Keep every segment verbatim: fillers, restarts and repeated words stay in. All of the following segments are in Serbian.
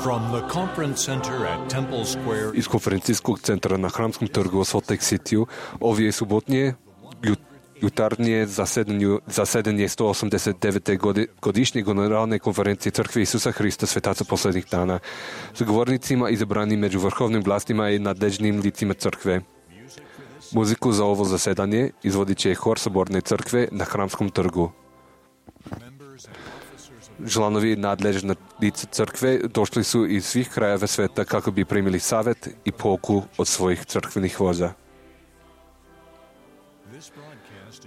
From the conference center at Temple Square. Из конференцийскog центъра на Храмском трgu в Солт Лейк Ситiju, ovdje je subotnije jutarnje zasedanje, zasedanje sto osamdeset devete godišnje generalne konferencije Crkve Isusa Hrista Svetaca posljednjih dana s govornicima izabranim među vrhovnim vlastima i nadležnim licima Crkve. Muziku za ovo zasedanje izvodit će hor Soborne Crkve na Hramskom trgu. Članovi nadležne lice Crkve došli su iz svih krajeva sveta kako bi primili savjet i pouku od svojih crkvenih vođa.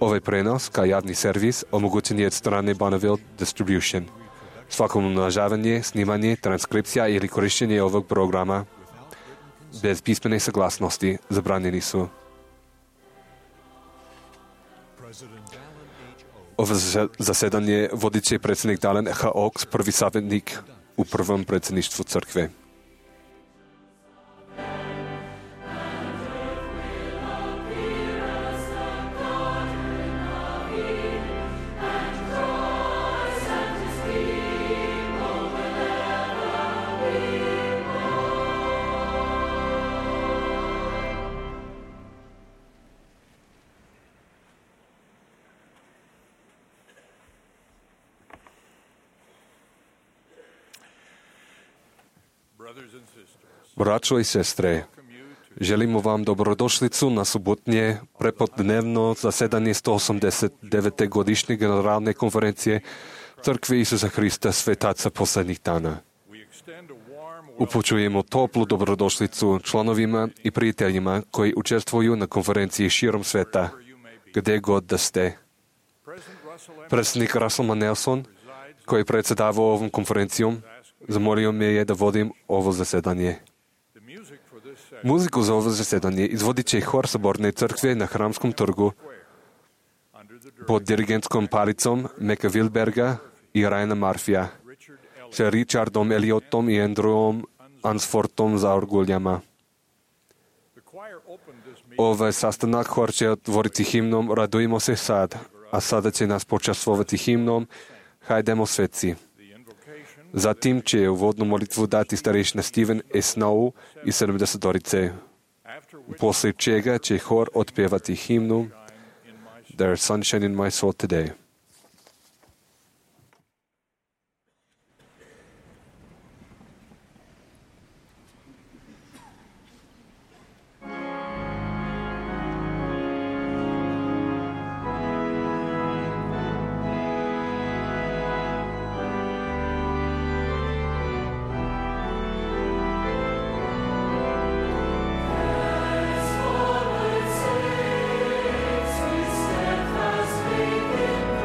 Ovaj prenos, kao javni servis, omogućen je od strane Bonneville Distribution. Svako umnožavanje, snimanje, transkripcija ili korištenje ovog programa bez pismene saglasnosti zabranjeni su. Ovo zasedanje vodit će predsjednik Dallin H. Oaks, prvi savjetnik u prvom predsjedništvu Crkve. Braćo i sestre, želimo vam dobrodošlicu na subotnje prepodnevno zasedanje sto osamdeset devete godišnje generalne konferencije Crkve Isusa Hrista Svetaca posljednjih dana. Upućujemo toplu dobrodošlicu članovima i prijateljima koji učestvuju na konferenciji širom sveta, gdje god da ste. Predsjednik Russell M. Nelson, koji predsjedava ovom konferencijom, zamolio me je da vodim ovo zasedanje. Muziku za ovo zasedanje izvodit će hor Soborne Crkve na Hramskom trgu pod dirigentskom palicom Meka Wilberga i Ryana Murphyja sa Richardom Elliotom i Andrewom Ansfortom za orguljama. Ovaj sastanak hor će otvoriti himnom Radujmo se sad, a sada će nas počastvovati himnom Hajdemo sveci. Zatim će uvodnu molitvu dati starešina Steven S. Snow i sedamdesetorice. Poslije čega će hor otpjevati himnu There's sunshine in my soul today. Steadfast faith in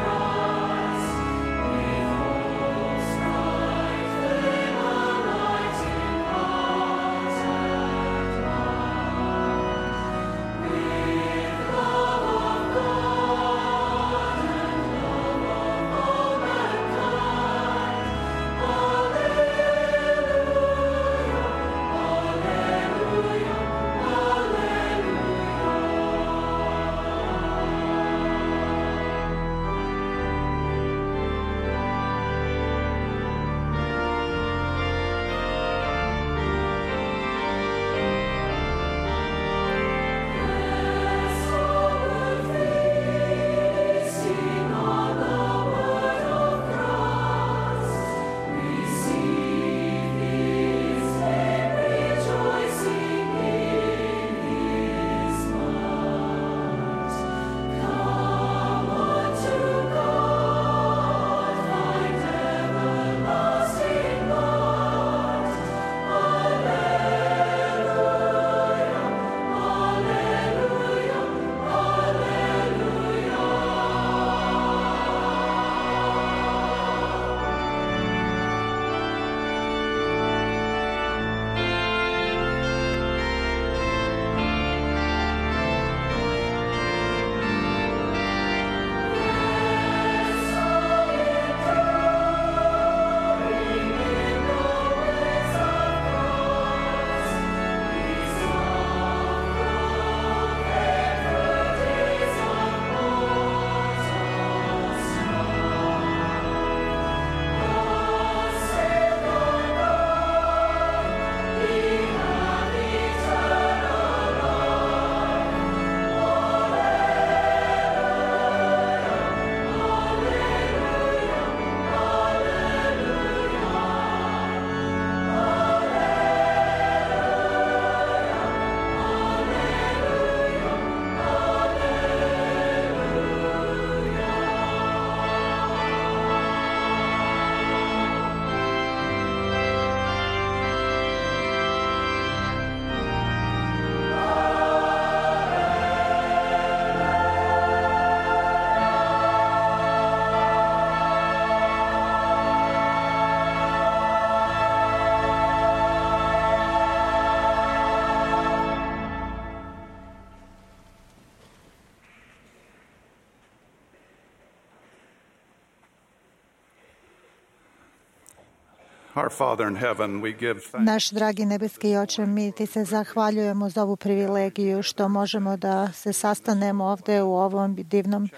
Our Father in heaven, we give thanks. Naš dragi nebeski Oče, mi ti se zahvaljujemo za ovu privilegiju što možemo da se sastanemo ovde u ovom divnom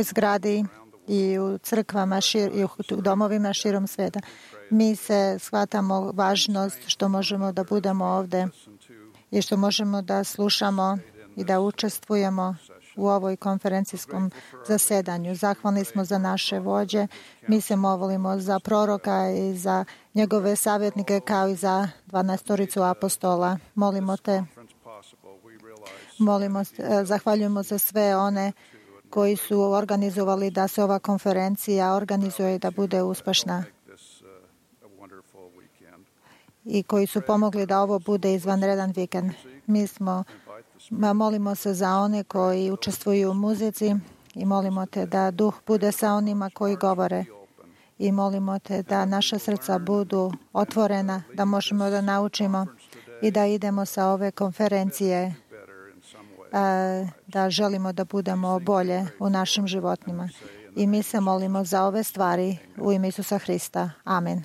zgradi i u crkvama šir, i u domovima širom sveta. Mi se shvatamo važnost što možemo da budemo ovde i što možemo da slušamo i da učestvujemo u ovoj konferencijskom zasedanju. Zahvalni smo za naše vođe. Mi se molimo za proroka i za njegove savjetnike kao i za dvanaestoricu apostola. Molimo te. Molimo, zahvaljujemo za sve one koji su organizovali da se ova konferencija organizuje i da bude uspešna i koji su pomogli da ovo bude izvanredan vikend. Mi smo molimo se za one koji učestvuju u muzici i molimo te da duh bude sa onima koji govore i molimo te da naša srca budu otvorena, da možemo da naučimo i da idemo sa ove konferencije, da želimo da budemo bolje u našim životima. I mi se molimo za ove stvari u ime Isusa Hrista. Amen.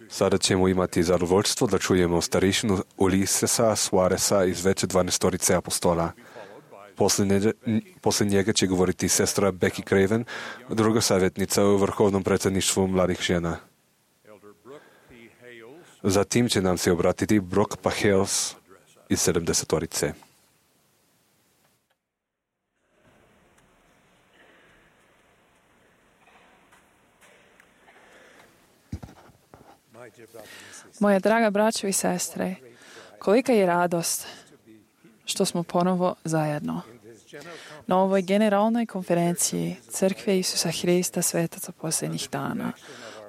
Sada ćemo imati zadovoljstvo da čujemo starišinu Ulisesa Suareza iz veće dvanaestorice apostola. Poslije, poslije njega će govoriti sestra Becky Craven, druga savjetnica u Vrhovnom predsjedništvu mladih žena. Zatim će nam se obratiti Brooke Pahels iz sedamdesetorice. Moja draga braćo i sestre, kolika je radost što smo ponovo zajedno. Na ovoj generalnoj konferenciji Crkve Isusa Hrista svetaca posljednjih dana,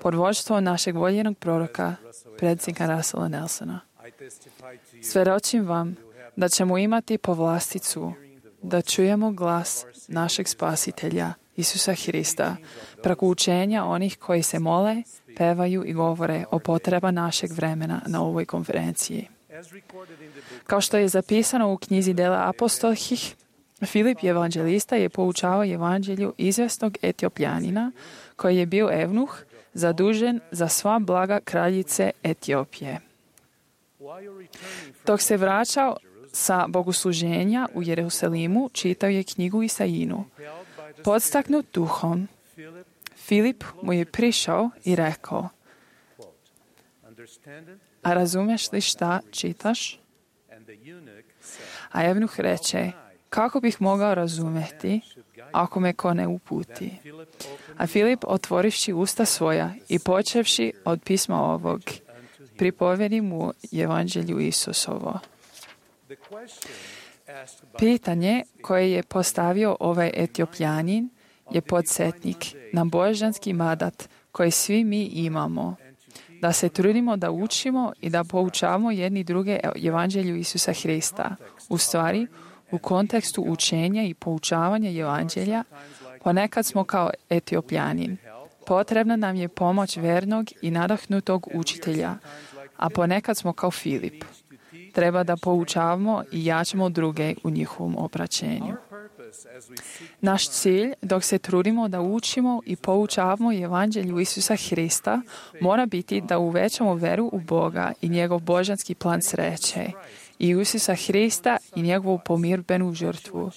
pod vodstvom našeg voljenog proroka, predsjednika Russella Nelsona. Svedočim vam da ćemo imati povlasticu da čujemo glas našeg Spasitelja, Isusa Hrista, preko učenja onih koji se mole, pevaju i govore o potreba našeg vremena na ovoj konferenciji. Kao što je zapisano u knjizi Dela apostolskih, Filip evanđelista je poučavao evanđelju izvesnog Etiopljanina koji je bio evnuh zadužen za sva blaga kraljice Etiopije. Dok se vraćao sa bogosluženja u Jerusalimu, čitao je knjigu Isainu. Podstaknut duhom, Filip mu je prišao i rekao: a razumeš li šta čitaš? A evnuh reče: kako bih mogao razumeti ako me ko ne uputi? A Filip, otvorivši usta svoja i počevši od pisma ovog, pripovedi mu evanđelju Isusovo. Pitanje koje je postavio ovaj Etiopljanin je podsjetnik na božanski mandat koji svi mi imamo, da se trudimo da učimo i da poučavamo jedni druge evanđelju Isusa Hrista. U stvari, u kontekstu učenja i poučavanja evanđelja, ponekad smo kao Etiopljanin. Potrebna nam je pomoć vernog i nadahnutog učitelja, a ponekad smo kao Filip. Treba da poučavamo i jačamo druge u njihovom obraćenju. Naš cilj, dok se trudimo da učimo i poučavamo evanđelju Isusa Hrista, mora biti da uvećamo veru u Boga i njegov božanski plan sreće, i Isusa Hrista i njegovu pomirbenu žrtvu,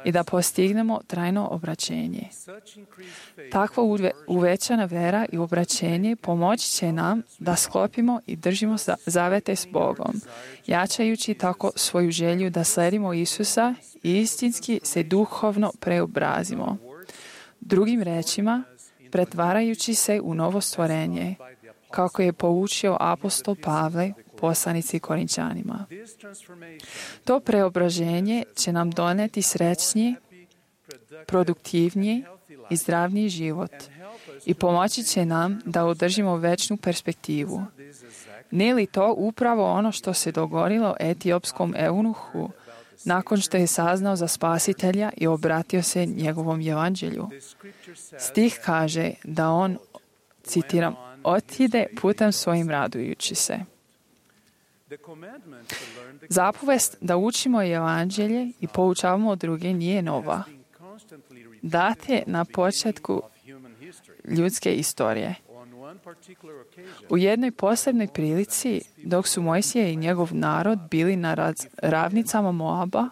i da postignemo trajno obraćenje. Takva uve, uvećana vera i obraćenje pomoći će nam da sklopimo i držimo zavete s Bogom, jačajući tako svoju želju da sledimo Isusa i istinski se duhovno preobrazimo. Drugim rečima, pretvarajući se u novo stvorenje, kako je poučio apostol Pavle, poslanici Korinčanima. To preobraženje će nam doneti srećniji, produktivniji i zdravniji život i pomoći će nam da održimo večnu perspektivu. Nije li to upravo ono što se dogodilo etiopskom eunuhu nakon što je saznao za Spasitelja i obratio se njegovom evanđelju? Stih kaže da on, citiram, otide putem svojim radujući se. Zapovest da učimo evanđelje i poučavamo druge nije nova. Dat je na početku ljudske istorije. U jednoj posebnoj prilici, dok su Mojsije i njegov narod bili na ravnicama Moaba,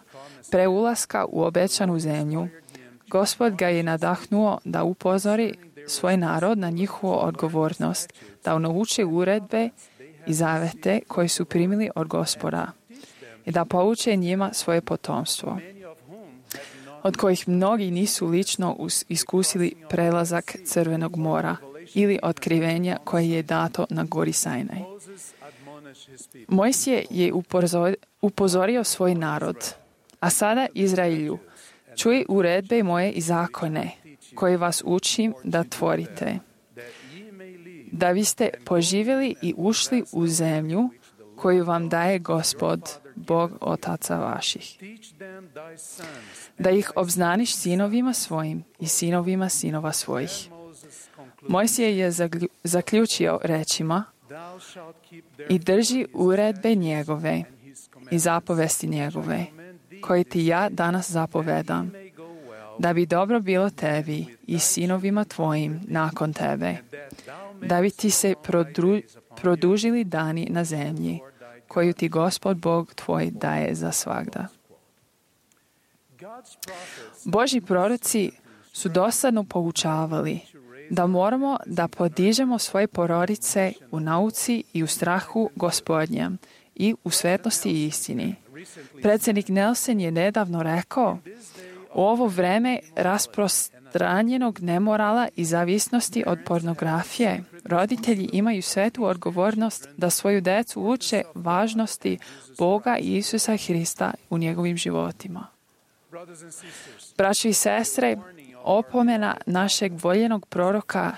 pre ulaska u obećanu zemlju, Gospod ga je nadahnuo da upozori svoj narod na njihovu odgovornost, da nauči uredbe i zavete koje su primili od Gospoda i da pouče njima svoje potomstvo, od kojih mnogi nisu lično iskusili prelazak Crvenog mora ili otkrivenja koje je dato na gori Sajnaj. Mojsije je upozorio svoj narod: a sada, Izraelju, čuj uredbe moje i zakone koje vas učim da tvorite, da biste poživjeli i ušli u zemlju koju vam daje Gospod, Bog otaca vaših. Da ih obznaniš sinovima svojim i sinovima sinova svojih. Mojsije je zaključio rečima: i drži uredbe njegove i zapovesti njegove, koje ti ja danas zapovedam, da bi dobro bilo tebi i sinovima tvojim nakon tebe, da bi ti se prodru, produžili dani na zemlji, koju ti Gospod Bog tvoj daje za svagda. Božji proroci su dosadno poučavali da moramo da podižemo svoje porodice u nauci i u strahu Gospodnjem i u svetlosti i istini. Predsjednik Nelson je nedavno rekao: u ovo vreme rasprostranjenog nemorala i zavisnosti od pornografije, roditelji imaju svetu odgovornost da svoju decu uče važnosti Boga i Isusa Hrista u njegovim životima. Braćo i sestre, opomena našeg voljenog proroka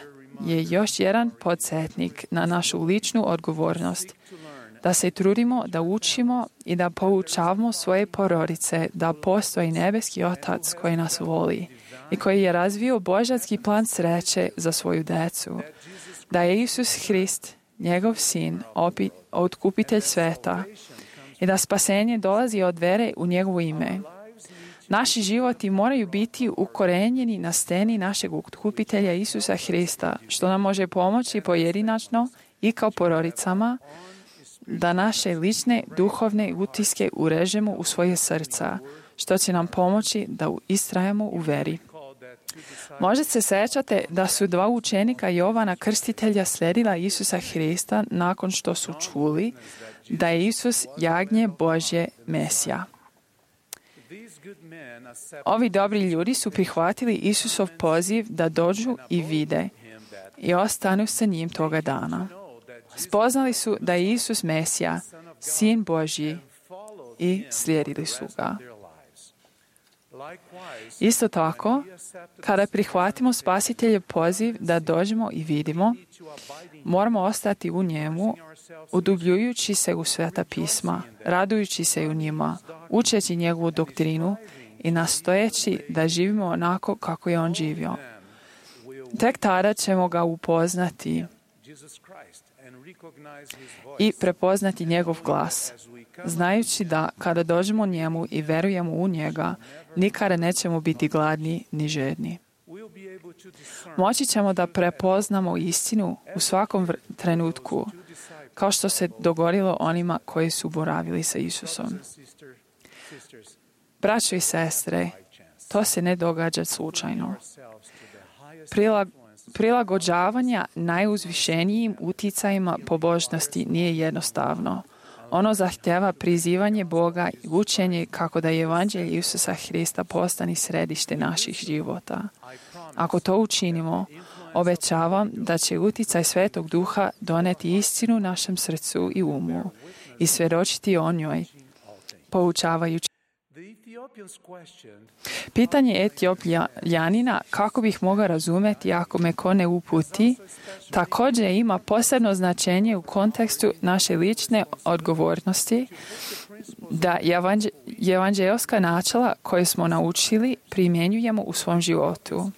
je još jedan podsjetnik na našu ličnu odgovornost, da se trudimo, da učimo i da poučavamo svoje porodice da postoji nebeski Otac koji nas voli i koji je razvio božanski plan sreće za svoju decu, da je Isus Hrist, njegov sin, opi, otkupitelj sveta i da spasenje dolazi od vere u njegovo ime. Naši životi moraju biti ukorenjeni na steni našeg otkupitelja Isusa Hrista, što nam može pomoći pojedinačno i kao porodicama da naše lične duhovne utiske urežemo u svoje srca, što će nam pomoći da istrajemo u veri. Možda se sećate da su dva učenika Jovana Krstitelja sledila Isusa Hrista nakon što su čuli da je Isus jagnje Božje Mesija. Ovi dobri ljudi su prihvatili Isusov poziv da dođu i vide i ostanu sa njim toga dana. Spoznali su da je Isus Mesija, Sin Božji, i slijedili su ga. Isto tako, kada prihvatimo Spasiteljev poziv da dođemo i vidimo, moramo ostati u njemu, udubljujući se u Sveta pisma, radujući se u njima, učeći njegovu doktrinu i nastojeći da živimo onako kako je on živio. Tek tada ćemo ga upoznati i prepoznati njegov glas, znajući da kada dođemo njemu i verujemo u njega, nikada nećemo biti gladni ni žedni. Moći ćemo da prepoznamo istinu u svakom trenutku, kao što se dogodilo onima koji su boravili sa Isusom. Braćo i sestre, to se ne događa slučajno. Prilag, prilagođavanja najuzvišenijim uticajima pobožnosti nije jednostavno. Ono zahtjeva prizivanje Boga i učenje kako da je evanđelje Isusa Hrista postane središte naših života. Ako to učinimo, obećavam da će uticaj Svetog Duha doneti istinu našem srcu i umu i svjedočiti o njoj, poučavajući. Pitanje Etiopljanina, kako bih mogao razumjeti ako me ko ne uputi, također ima posebno značenje u kontekstu naše lične odgovornosti da evanđeoska načela koje smo naučili primjenjujemo u svom životu.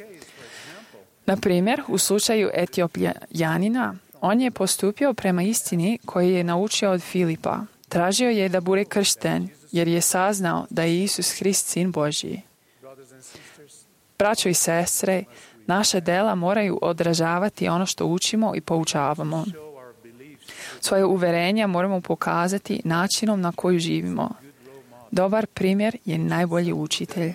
Na primjer, u slučaju Etiopljanina, on je postupio prema istini koju je naučio od Filipa. Tražio je da bude kršten, jer je saznao da je Isus Hrist Sin Božji. Braćo i sestre, naša dela moraju odražavati ono što učimo i poučavamo. Svoje uverenja moramo pokazati načinom na koji živimo. Dobar primjer je najbolji učitelj.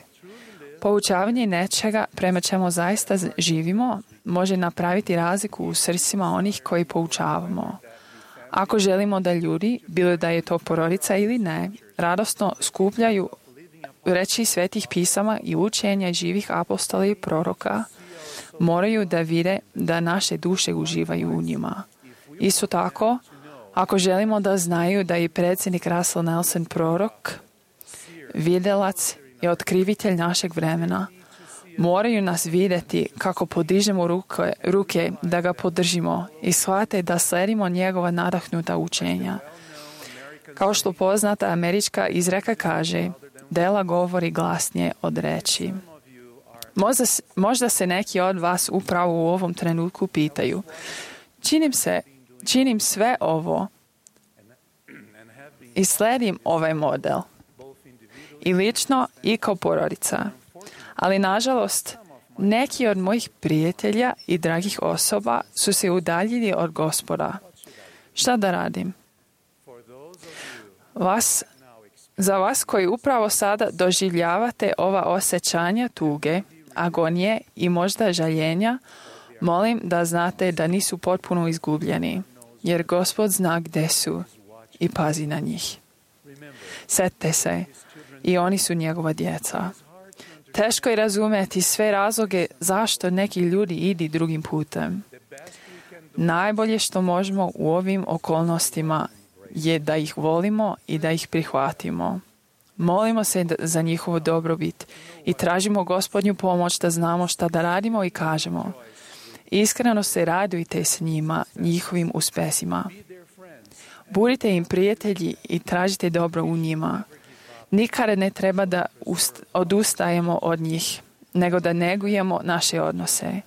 Poučavanje nečega prema čemu zaista živimo može napraviti razliku u srcima onih koji poučavamo. Ako želimo da ljudi, bilo da je to porodica ili ne, radosno skupljaju reči svetih pisama i učenja živih apostola i proroka, moraju da vide da naše duše uživaju u njima. Isto tako, ako želimo da znaju da je predsjednik Russell Nelson prorok, videlac i otkrivitelj našeg vremena, moraju nas vidjeti kako podižemo ruke, ruke da ga podržimo i shvate da sledimo njegova nadahnuta učenja. Kao što poznata američka izreka kaže, dela govori glasnije od reči. Možda, možda se neki od vas upravo u ovom trenutku pitaju, činim, se, činim sve ovo i sledim ovaj model, i lično i kao porodica. Ali, nažalost, neki od mojih prijatelja i dragih osoba su se udaljili od Gospoda. Šta da radim? Vas, za vas koji upravo sada doživljavate ova osjećanja tuge, agonije i možda žaljenja, molim da znate da nisu potpuno izgubljeni, jer Gospod zna gdje su i pazi na njih. Sjetite se, i oni su njegova djeca. Teško je razumjeti sve razloge zašto neki ljudi idu drugim putem. Najbolje što možemo u ovim okolnostima je da ih volimo i da ih prihvatimo. Molimo se za njihovu dobrobit i tražimo Gospodnju pomoć da znamo šta da radimo i kažemo. Iskreno se radujte s njima, njihovim uspesima. Budite im prijatelji i tražite dobro u njima. Nikada ne treba da ust- odustajemo od njih, nego da negujemo naše odnose.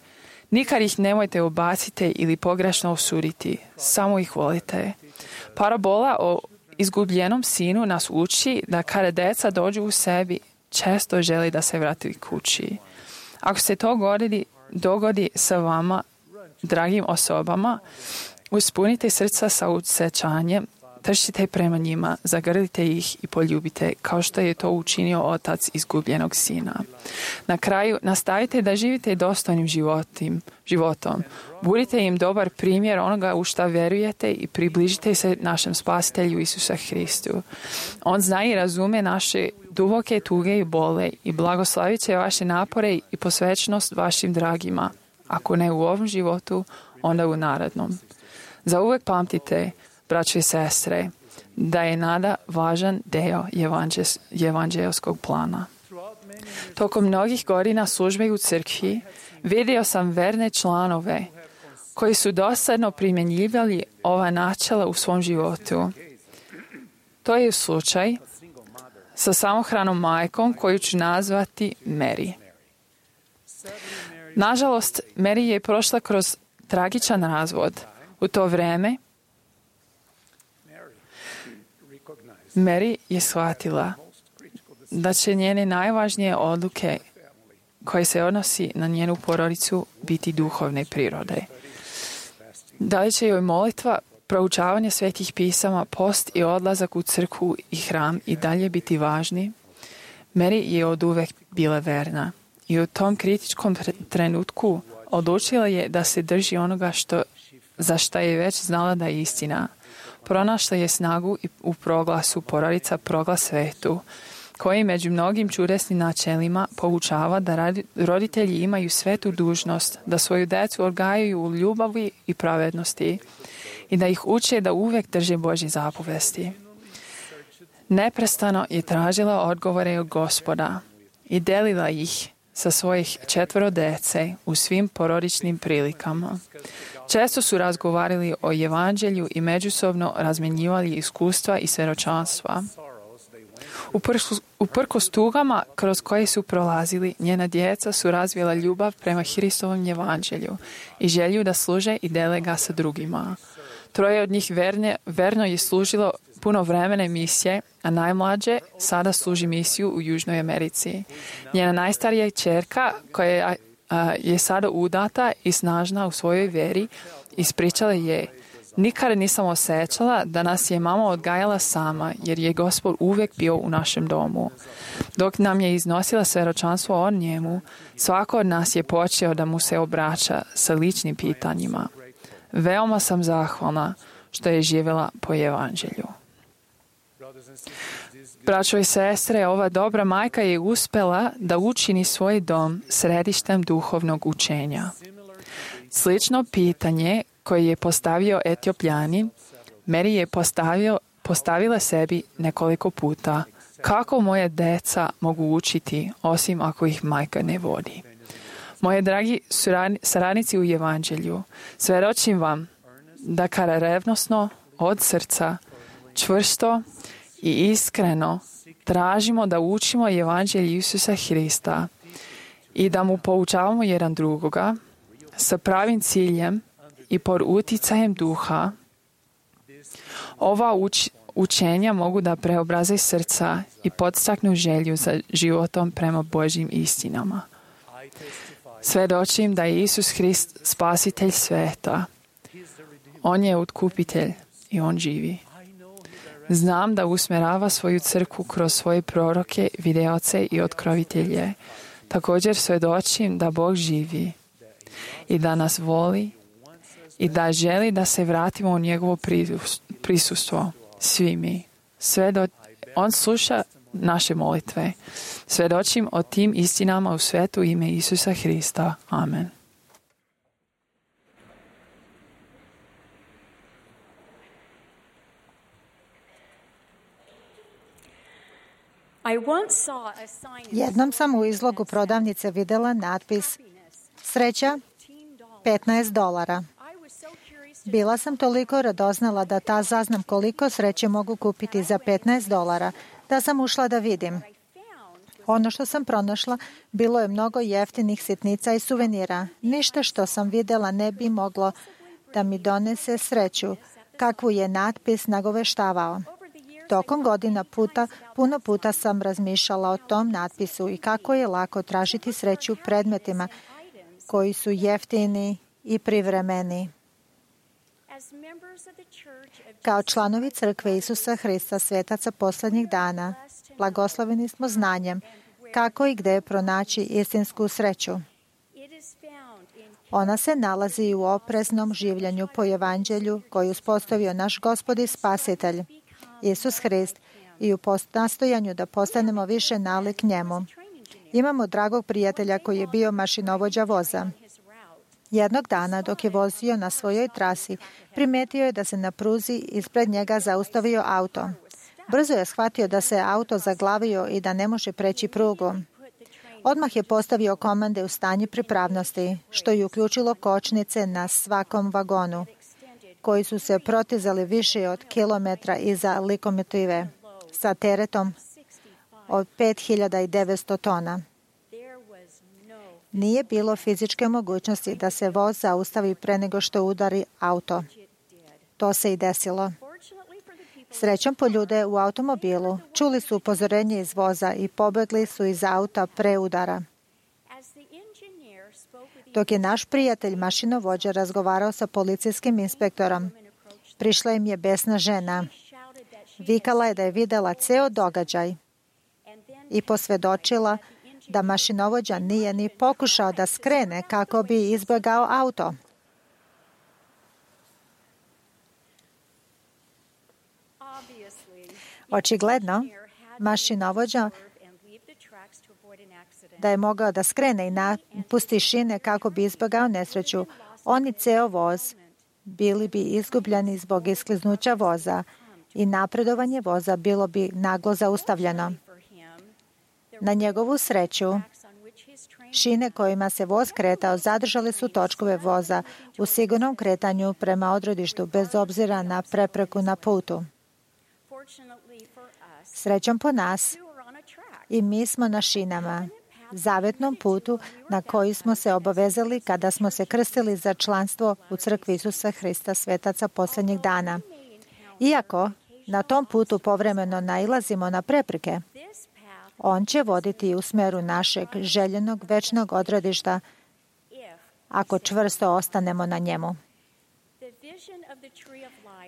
Nikad ih nemojte ubaciti ili pogrešno osuditi, samo ih volite. Parabola o izgubljenom sinu nas uči da kada deca dođu u sebi, često želi da se vrati kući. Ako se to dogodi, dogodi sa vama, dragim osobama, uspunite srca sa osjećanjem, trčite prema njima, zagrlite ih i poljubite, kao što je to učinio otac izgubljenog sina. Na kraju, nastavite da živite dostojnim životim, životom. Budite im dobar primjer onoga u šta verujete i približite se našem spasitelju Isusa Hristu. On zna i razume naše duboke tuge i bole i blagoslavit će vaše napore i posvećnost vašim dragima. Ako ne u ovom životu, onda u narednom. Za uvek pamtite, braćo i sestre, da je nada važan deo evanđeljskog plana. Tokom mnogih godina službe u crkvi vidio sam verne članove koji su dosadno primjenjivali ova načela u svom životu. To je slučaj sa samohranom majkom koju ću nazvati Mary. Nažalost, Mary je prošla kroz tragičan razvod. U to vreme Mary je shvatila da će njene najvažnije odluke koje se odnosi na njenu porodicu biti duhovne prirode. Da li će joj molitva, proučavanje svetih pisama, post i odlazak u crkvu i hram i dalje biti važni? Mary je oduvek bila verna i u tom kritičkom trenutku odlučila je da se drži onoga što, za šta je već znala da je istina. Pronašla je snagu u proglasu porodica proglas svetu, koji među mnogim čudesnim načelima poučava da roditelji imaju svetu dužnost da svoju decu odgajaju u ljubavi i pravednosti i da ih uče da uvek drže Božje zapovesti. Neprestano je tražila odgovore od Gospoda i delila ih sa svojih četvoro dece u svim porodičnim prilikama. Često su razgovarali o evanđelju i međusobno razmenjivali iskustva i svedočanstva. Uprkos tugama kroz koje su prolazili, njena djeca su razvila ljubav prema Hristovom evanđelju i želju da služe i dele ga sa drugima. Troje od njih verne, verno je služilo puno vremene misije, a najmlađe sada služi misiju u Južnoj Americi. Njena najstarija ćerka, koja je sada udata i snažna u svojoj veri, ispričala je: nikada nisam osjećala da nas je mama odgajala sama, jer je Gospod uvijek bio u našem domu. Dok nam je iznosila svedočanstvo o njemu, svako od nas je počeo da mu se obraća sa ličnim pitanjima. Veoma sam zahvalna što je živjela po evanđelju. Braćo i sestre, ova dobra majka je uspela da učini svoj dom središtem duhovnog učenja. Slično pitanje koje je postavio Etiopljanin, Mary je postavio, postavila sebi nekoliko puta: kako moje deca mogu učiti osim ako ih majka ne vodi? Moje dragi saradnici u evanđelju, svedočim vam da kada revnosno, od srca, čvrsto i iskreno tražimo da učimo evanđelje Isusa Hrista i da mu poučavamo jedan drugoga sa pravim ciljem i pod uticajem duha, ova uč, učenja mogu da preobraze srca i podstaknu želju za životom prema Božjim istinama. Svedočim da je Isus Hrist spasitelj sveta. On je otkupitelj i on živi. Znam da usmjerava svoju crkvu kroz svoje proroke, videoce i otkrovitelje. Također svedočim da Bog živi i da nas voli i da želi da se vratimo u njegovo prisustvo. Svi mi. Sve do... On sluša naše molitve. Svedočim o tim istinama u svetu ime Isusa Hrista. Amen. Jednom sam u izlogu prodavnice vidjela natpis Sreća petnaest dolara. Bila sam toliko radoznala da ta saznam koliko sreće mogu kupiti za petnaest dolara, da sam ušla da vidim. Ono što sam pronašla bilo je mnogo jeftinih sitnica i suvenira. Ništa što sam vidjela ne bi moglo da mi donese sreću, kakvu je natpis nagoveštavao. Tokom godina puta, puno puta sam razmišljala o tom natpisu i kako je lako tražiti sreću predmetima koji su jeftini i privremeni. Kao članovi Crkve Isusa Hrista, svetaca posljednjih dana, blagosloveni smo znanjem kako i gdje pronaći istinsku sreću. Ona se nalazi u opreznom življenju po evanđelju koju uspostavio naš Gospod i Spasitelj, Isus Hrist, i u nastojanju da postanemo više nalik njemu. Imamo dragog prijatelja koji je bio mašinovođa voza. Jednog dana, dok je vozio na svojoj trasi, primetio je da se na pruzi ispred njega zaustavio auto. Brzo je shvatio da se auto zaglavio i da ne može preći prugu. Odmah je postavio komande u stanje pripravnosti, što je uključilo kočnice na svakom vagonu, koji su se protizali više od kilometra iza lokomotive sa teretom od pet hiljada devetsto tona. Nije bilo fizičke mogućnosti da se voz zaustavi pre nego što udari auto. To se i desilo. Srećom po ljude u automobilu, čuli su upozorenje iz voza i pobegli su iz auta pre udara. Dok je naš prijatelj mašinovođa razgovarao sa policijskim inspektorom, prišla im je besna žena. Vikala je da je videla ceo događaj i posvjedočila da mašinovođa nije ni pokušao da skrene kako bi izbjegao auto. Očigledno, mašinovođa da je mogao da skrene i napusti šine kako bi izbjegao nesreću, on i ceo voz bili bi izgubljeni zbog iskliznuća voza i napredovanje voza bilo bi naglo zaustavljeno. Na njegovu sreću, šine kojima se voz kretao zadržali su točkove voza u sigurnom kretanju prema odredištu bez obzira na prepreku na putu. Srećom po nas, i mi smo na šinama, zavetnom putu na koji smo se obavezali kada smo se krstili za članstvo u Crkvi Isusa Hrista, svetaca posljednjih dana. Iako na tom putu povremeno nailazimo na prepreke, on će voditi u smeru našeg željenog večnog odredišta ako čvrsto ostanemo na njemu.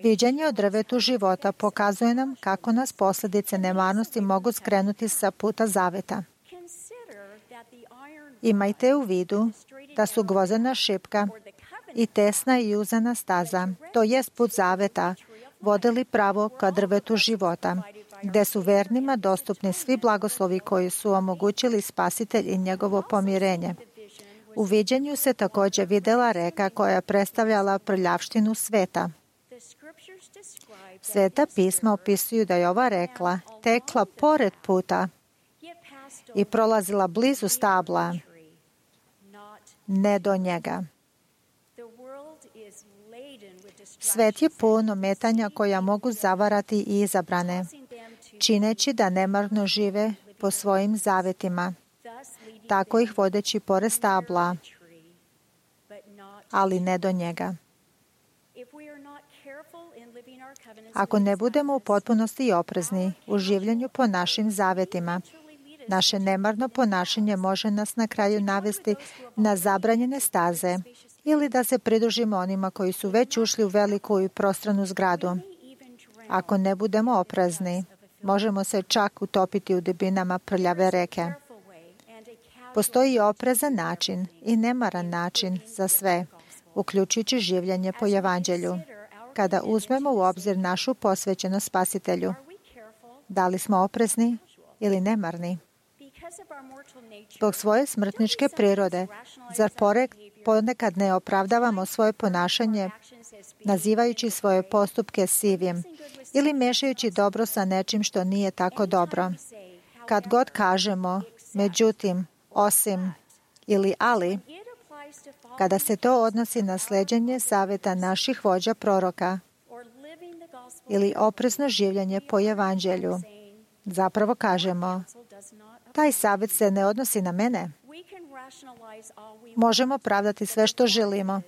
Viđenje o drvetu života pokazuje nam kako nas posljedice nemarnosti mogu skrenuti sa puta zaveta. Imajte u vidu da su gvozdena šipka i tesna i uzana staza, to jest put zaveta, vodili pravo ka drvetu života, gde su vernima dostupni svi blagoslovi koji su omogućili Spasitelj i njegovo pomirenje. U viđenju se također vidjela reka koja je predstavljala prljavštinu sveta. Sveta pisma opisuju da je ova rekla tekla pored puta i prolazila blizu stabla, ne do njega. Svet je pun ometanja koja mogu zavarati i izabrane, čineći da nemarno žive po svojim zavetima, tako ih vodeći pored stabla, ali ne do njega. Ako ne budemo u potpunosti oprezni u življenju po našim zavetima, naše nemarno ponašanje može nas na kraju navesti na zabranjene staze ili da se pridružimo onima koji su već ušli u veliku i prostranu zgradu. Ako ne budemo oprezni, možemo se čak utopiti u dubinama prljave reke. Postoji oprezan način i nemaran način za sve, uključujući življenje po evanđelju. Kada uzmemo u obzir našu posvećenost Spasitelju, da li smo oprezni ili nemarni? Zbog svoje smrtničke prirode, zar ponekad ne opravdavamo svoje ponašanje nazivajući svoje postupke sivim ili mešajući dobro sa nečim što nije tako dobro? kad god kažemo međutim, osim ili ali, kada se to odnosi na sleđenje savjeta naših vođa proroka ili oprezno življenje po evanđelju, zapravo kažemo, taj savjet se ne odnosi na mene. Možemo pravdati sve što želimo,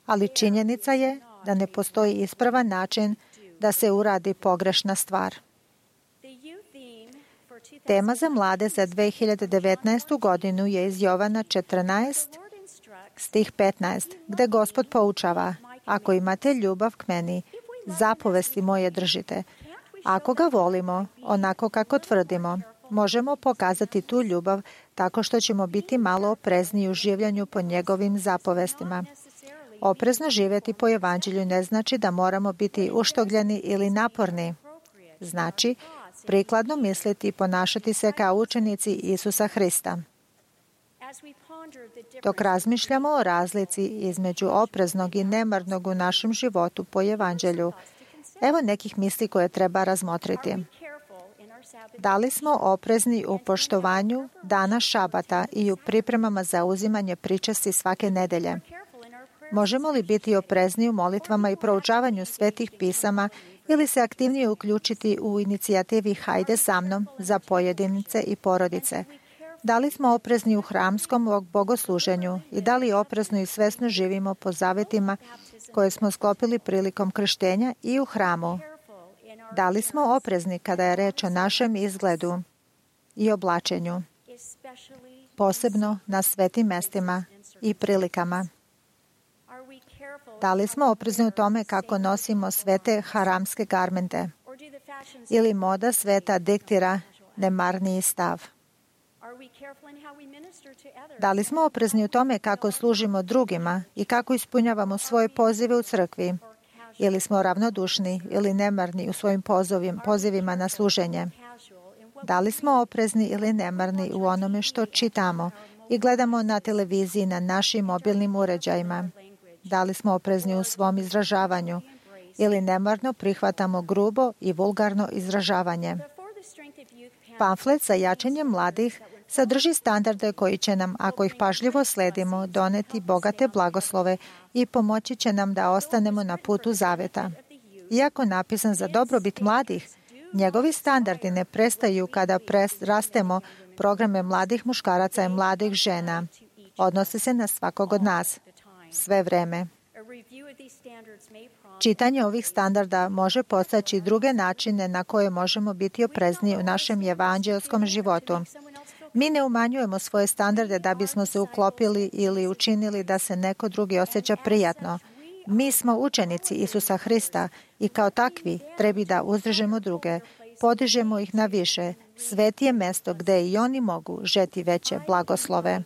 ali činjenica je da ne postoji ispravan način da se uradi pogrešna stvar. Tema za mlade za dve hiljade devetnaestu godinu je iz Jovana četrnaest, stih petnaest, gde Gospod poučava, ako imate ljubav k meni, zapovesti moje držite. Ako ga volimo, onako kako tvrdimo, možemo pokazati tu ljubav tako što ćemo biti malo oprezniji u življenju po njegovim zapovestima. Oprezno živjeti po evanđelju ne znači da moramo biti uštogljeni ili naporni. Znači, prikladno misliti i ponašati se kao učenici Isusa Hrista. Dok razmišljamo o razlici između opreznog i nemarnog u našem životu po evanđelju, evo nekih misli koje treba razmotriti. Da li smo oprezni u poštovanju dana šabata i u pripremama za uzimanje pričasti svake nedelje? Možemo li biti oprezni u molitvama i proučavanju svetih pisama ili se aktivnije uključiti u inicijativi Hajde sa mnom za pojedinice i porodice? Da li smo oprezni u hramskom bogosluženju i da li oprezno i svesno živimo po zavetima koje smo sklopili prilikom krštenja i u hramu? Da li smo oprezni kada je reč o našem izgledu i oblačenju, posebno na svetim mestima i prilikama? Da li smo oprezni u tome kako nosimo svete haramske garmente? Ili moda sveta diktira nemarniji stav? Da li smo oprezni u tome kako služimo drugima i kako ispunjavamo svoje pozive u crkvi? Ili smo ravnodušni ili nemarni u svojim pozivima na služenje? Da li smo oprezni ili nemarni u onome što čitamo i gledamo na televiziji na našim mobilnim uređajima? Da li smo oprezni u svom izražavanju ili nemarno prihvatamo grubo i vulgarno izražavanje? Pamflet za jačanje mladih sadrži standarde koji će nam, ako ih pažljivo sledimo, doneti bogate blagoslove i pomoći će nam da ostanemo na putu zaveta. Iako napisan za dobrobit mladih, njegovi standardi ne prestaju kada rastemo programe mladih muškaraca i mladih žena. Odnose se na svakog od nas, sve vreme. Čitanje ovih standarda može postaći druge načine na koje možemo biti oprezniji u našem evanđelskom životu. Mi ne umanjujemo svoje standarde da bismo se uklopili ili učinili da se neko drugi osjeća prijatno. Mi smo učenici Isusa Hrista i kao takvi trebi da uzdržemo druge, podižemo ih na više. Svet je mesto gde i oni mogu žeti veće blagoslove.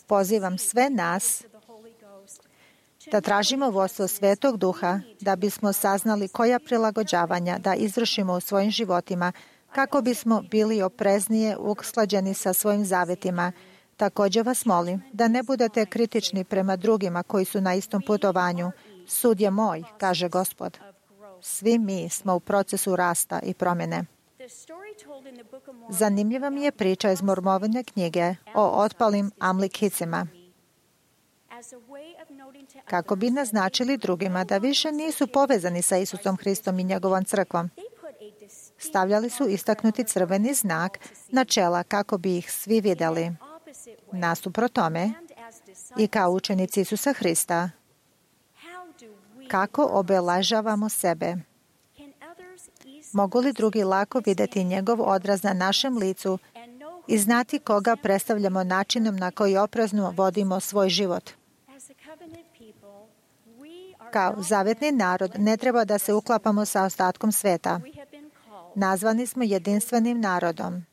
Pozivam sve nas da tražimo vodstvo Svetog Duha da bismo saznali koja prilagođavanja da izvršimo u svojim životima kako bismo bili opreznije usklađeni sa svojim zavetima. Također vas molim da ne budete kritični prema drugima koji su na istom putovanju. Sud je moj, kaže Gospod. Svi mi smo u procesu rasta i promjene. Zanimljiva mi je priča iz Mormovine knjige o otpalim Amlikicima. Kako bi naznačili drugima da više nisu povezani sa Isusom Hristom i njegovom crkvom, stavljali su istaknuti crveni znak na čela kako bi ih svi vidjeli. Nasuprot tome, i kao učenici Isusa Hrista, kako obeležavamo sebe? Mogu li drugi lako vidjeti njegov odraz na našem licu i znati koga predstavljamo načinom na koji oprezno vodimo svoj život? Kao zavetni narod ne treba da se uklapamo sa ostatkom sveta. Nazvani smo jedinstvenim narodom.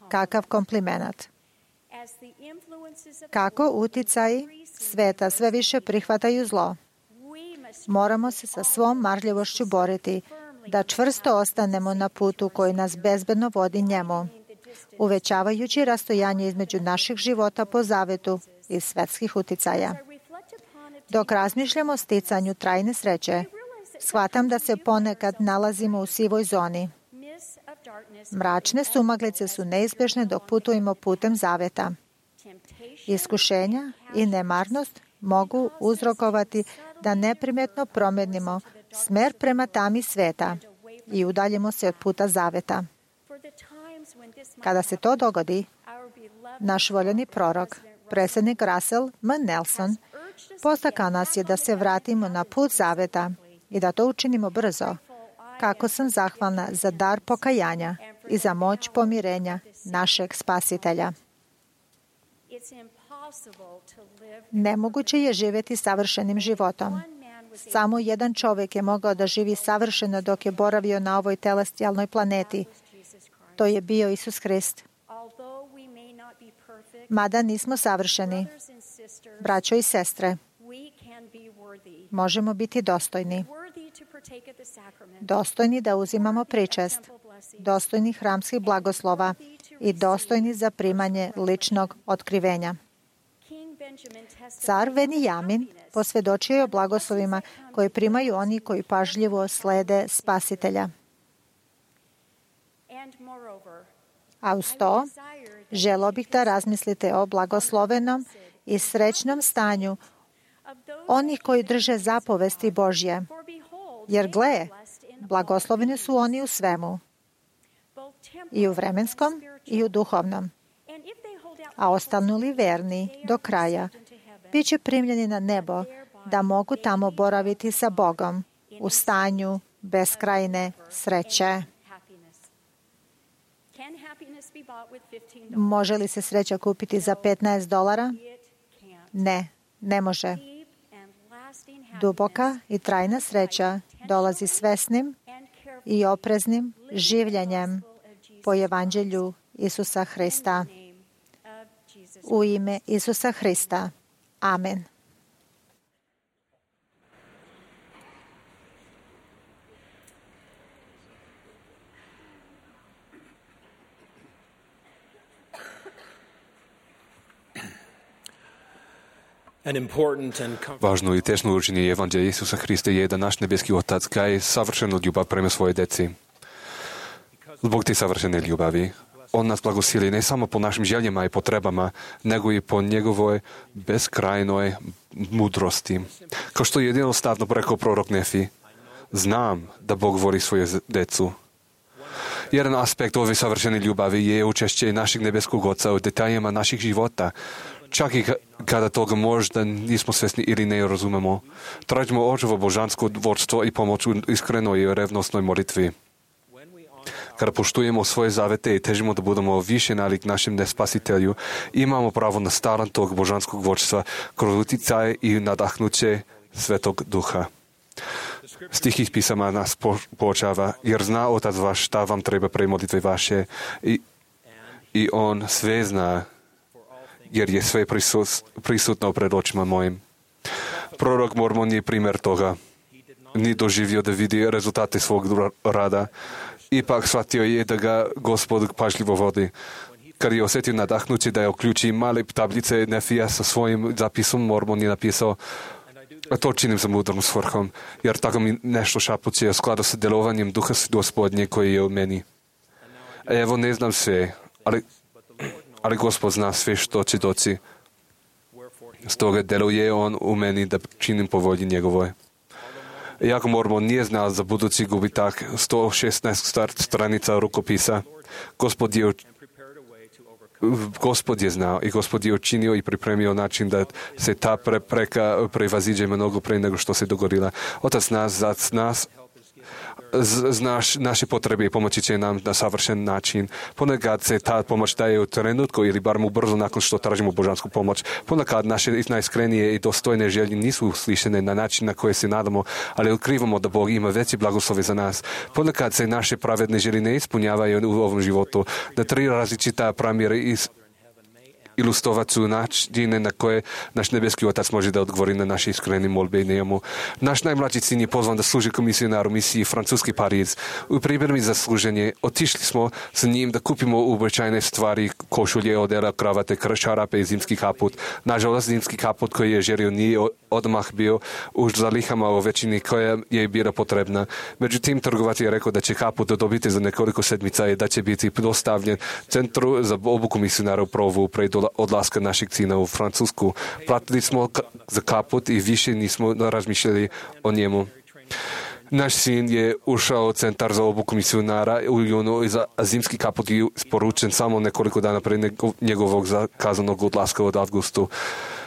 Kakav komplimenat. Kako uticaji sveta sve više prihvataju zlo, moramo se sa svom marljivošću boriti da čvrsto ostanemo na putu koji nas bezbedno vodi njemu, uvećavajući rastojanje između naših života po zavetu i svetskih uticaja. Dok razmišljamo o sticanju trajne sreće, shvatam da se ponekad nalazimo u sivoj zoni. Mračne sumaglice su neizbježne dok putujemo putem zaveta. Iskušenja i nemarnost mogu uzrokovati da neprimjetno promijenimo smer prema tami sveta i udaljimo se od puta zaveta. Kada se to dogodi, naš voljeni prorok, predsjednik Russell M. Nelson, postakao nas je da se vratimo na put zaveta i da to učinimo brzo. Kako sam zahvalna za dar pokajanja i za moć pomirenja našeg Spasitelja. Nemoguće je živjeti savršenim životom. Samo jedan čovjek je mogao da živi savršeno dok je boravio na ovoj telestijalnoj planeti. To je bio Isus Hrist. Mada nismo savršeni, braćo i sestre, možemo biti dostojni. Dostojni da uzimamo pričest, dostojni hramskih blagoslova i dostojni za primanje ličnog otkrivenja. Car Venijamin posvjedočio je o blagoslovima koji primaju oni koji pažljivo slede Spasitelja. A uz to, želio bih da razmislite o blagoslovenom i srećnom stanju onih koji drže zapovesti Božje. Jer gle, blagosloveni su oni u svemu, i u vremenskom i u duhovnom. A ostanu li verni do kraja, bit će primljeni na nebo da mogu tamo boraviti sa Bogom u stanju beskrajne sreće. Može li se sreća kupiti za petnaest dolara? Ne, ne može. Duboka i trajna sreća dolazi svesnim i opreznim življenjem po evanđelju Isusa Hrista. U ime Isusa Hrista. Amen. Važno i tešno učenje evanđelja Isusa Hrista je da naš nebeski Otac gaje savršenu ljubav prema svoje deci. Zbog te savršene ljubavi, On nas blagosili ne samo po našim željama i potrebama, nego i po njegovoj beskrajnoj mudrosti. Kao što je jednostavno rekao prorok Nefi, znam da Bog voli svoje decu. Jedan aspekt ove savršene ljubavi je učešće našeg nebeskog Oca u detaljima naših života. Čak i kada toga možda nismo svjesni ili ne razumemo. Tražimo očevo božansko vodstvo i pomoć u iskrenoj i revnosnoj molitvi. Kada poštujemo svoje zavete i težimo da budemo više nalik našem nespasitelju, imamo pravo na staran tog božanskog vodstva kroz utjecaj i nadahnuće Svetog Duha. Stih iz pisama nas poučava, jer zna Otac vaš šta vam treba pre molitve vaše i, i On sve zna, jer je sve prisut, prisutno pred očima mojim. Prorok Mormon je primjer toga. Ni doživio da vidi rezultate svog rada. Ipak shvatio je da ga Gospod pažljivo vodi. Kad je osjetio nadahnuće da je uključi male tablice Nefija sa svojim zapisom, Mormon je napisao, a to činim za mudrom svrhom, jer tako mi nešto šapuće u skladu sa delovanjem Duha Gospodnje koji je u meni. Evo, ne znam sve, ali, ali Gospod zna sve što će doći. Stoga deluje On u meni da činim po volji njegovoj. Iako Mormon nije znao za budući gubitak sto šesnaest stranica rukopisa, Gospod je, Gospod je znao i Gospod je učinio i pripremio način da se ta prepreka prevaziđe mnogo pre nego što se dogodila. Otac nas, za nas, znaš naše potrebe i pomoći će nam na savršen način. Ponekad se ta pomoć daje u trenutku ili bar mu brzo nakon što tražimo božansku pomoć. Ponekad naše najiskrenije i dostojne želje nisu uslišene na način na koje se nadamo, ali otkrivamo da Bog ima veći blagoslove za nas. Ponekad se naše pravedne želje ne ispunjavaju u ovom životu. Na tri različita primjera iz ilustrovati su načine na koje naš nebeski otac može da odgovori na naše iskrene molbe njemu. Naš najmlađi sin je pozvan da služi kao misionar u misiji Francuski Pariz. U pripremi za služenje otišli smo sa njim da kupimo uobičajene stvari, košulje, odela, kravate, čarape i zimski kaput. Nažalost, zimski kaput koji je želio nije odmah bio u zalihama u većini koja je bila potrebna. Međutim, trgovac je rekao da će kaput dobiti za nekoliko sedmica i da će biti dostavljen centru za obuku misionara u provu pred odlaska našeg sina u Francusku. Platili smo ka- za kaput i više nismo razmišljali o njemu. Naš sin je ušao u centar za obuku misionara u junu, a zimski kaput je sporučen samo nekoliko dana pre njegovog zakazanog odlaska od avgustu.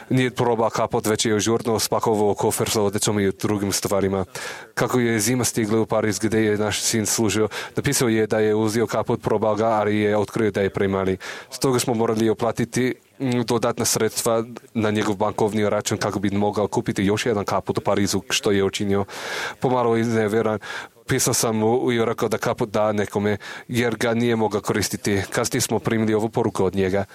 Nije probao kaput, već je žurno spakovao kofer sa odećom i drugim stvarima. Kako je zima stigla u Pariz gdje je naš sin služio, napisao je da je uzeo kaput, probao ga, ali je otkrio da je premali. Stoga smo morali oplatiti dodatna sredstva na njegov bankovni račun kako bi mogao kupiti još jedan kaput u Parizu, što je učinio. Pomalo izneveran, pisao sam mu i rekao da kaput da nekome, jer ga nije mogao koristiti. Kasnije smo primili ovu poruku od njega.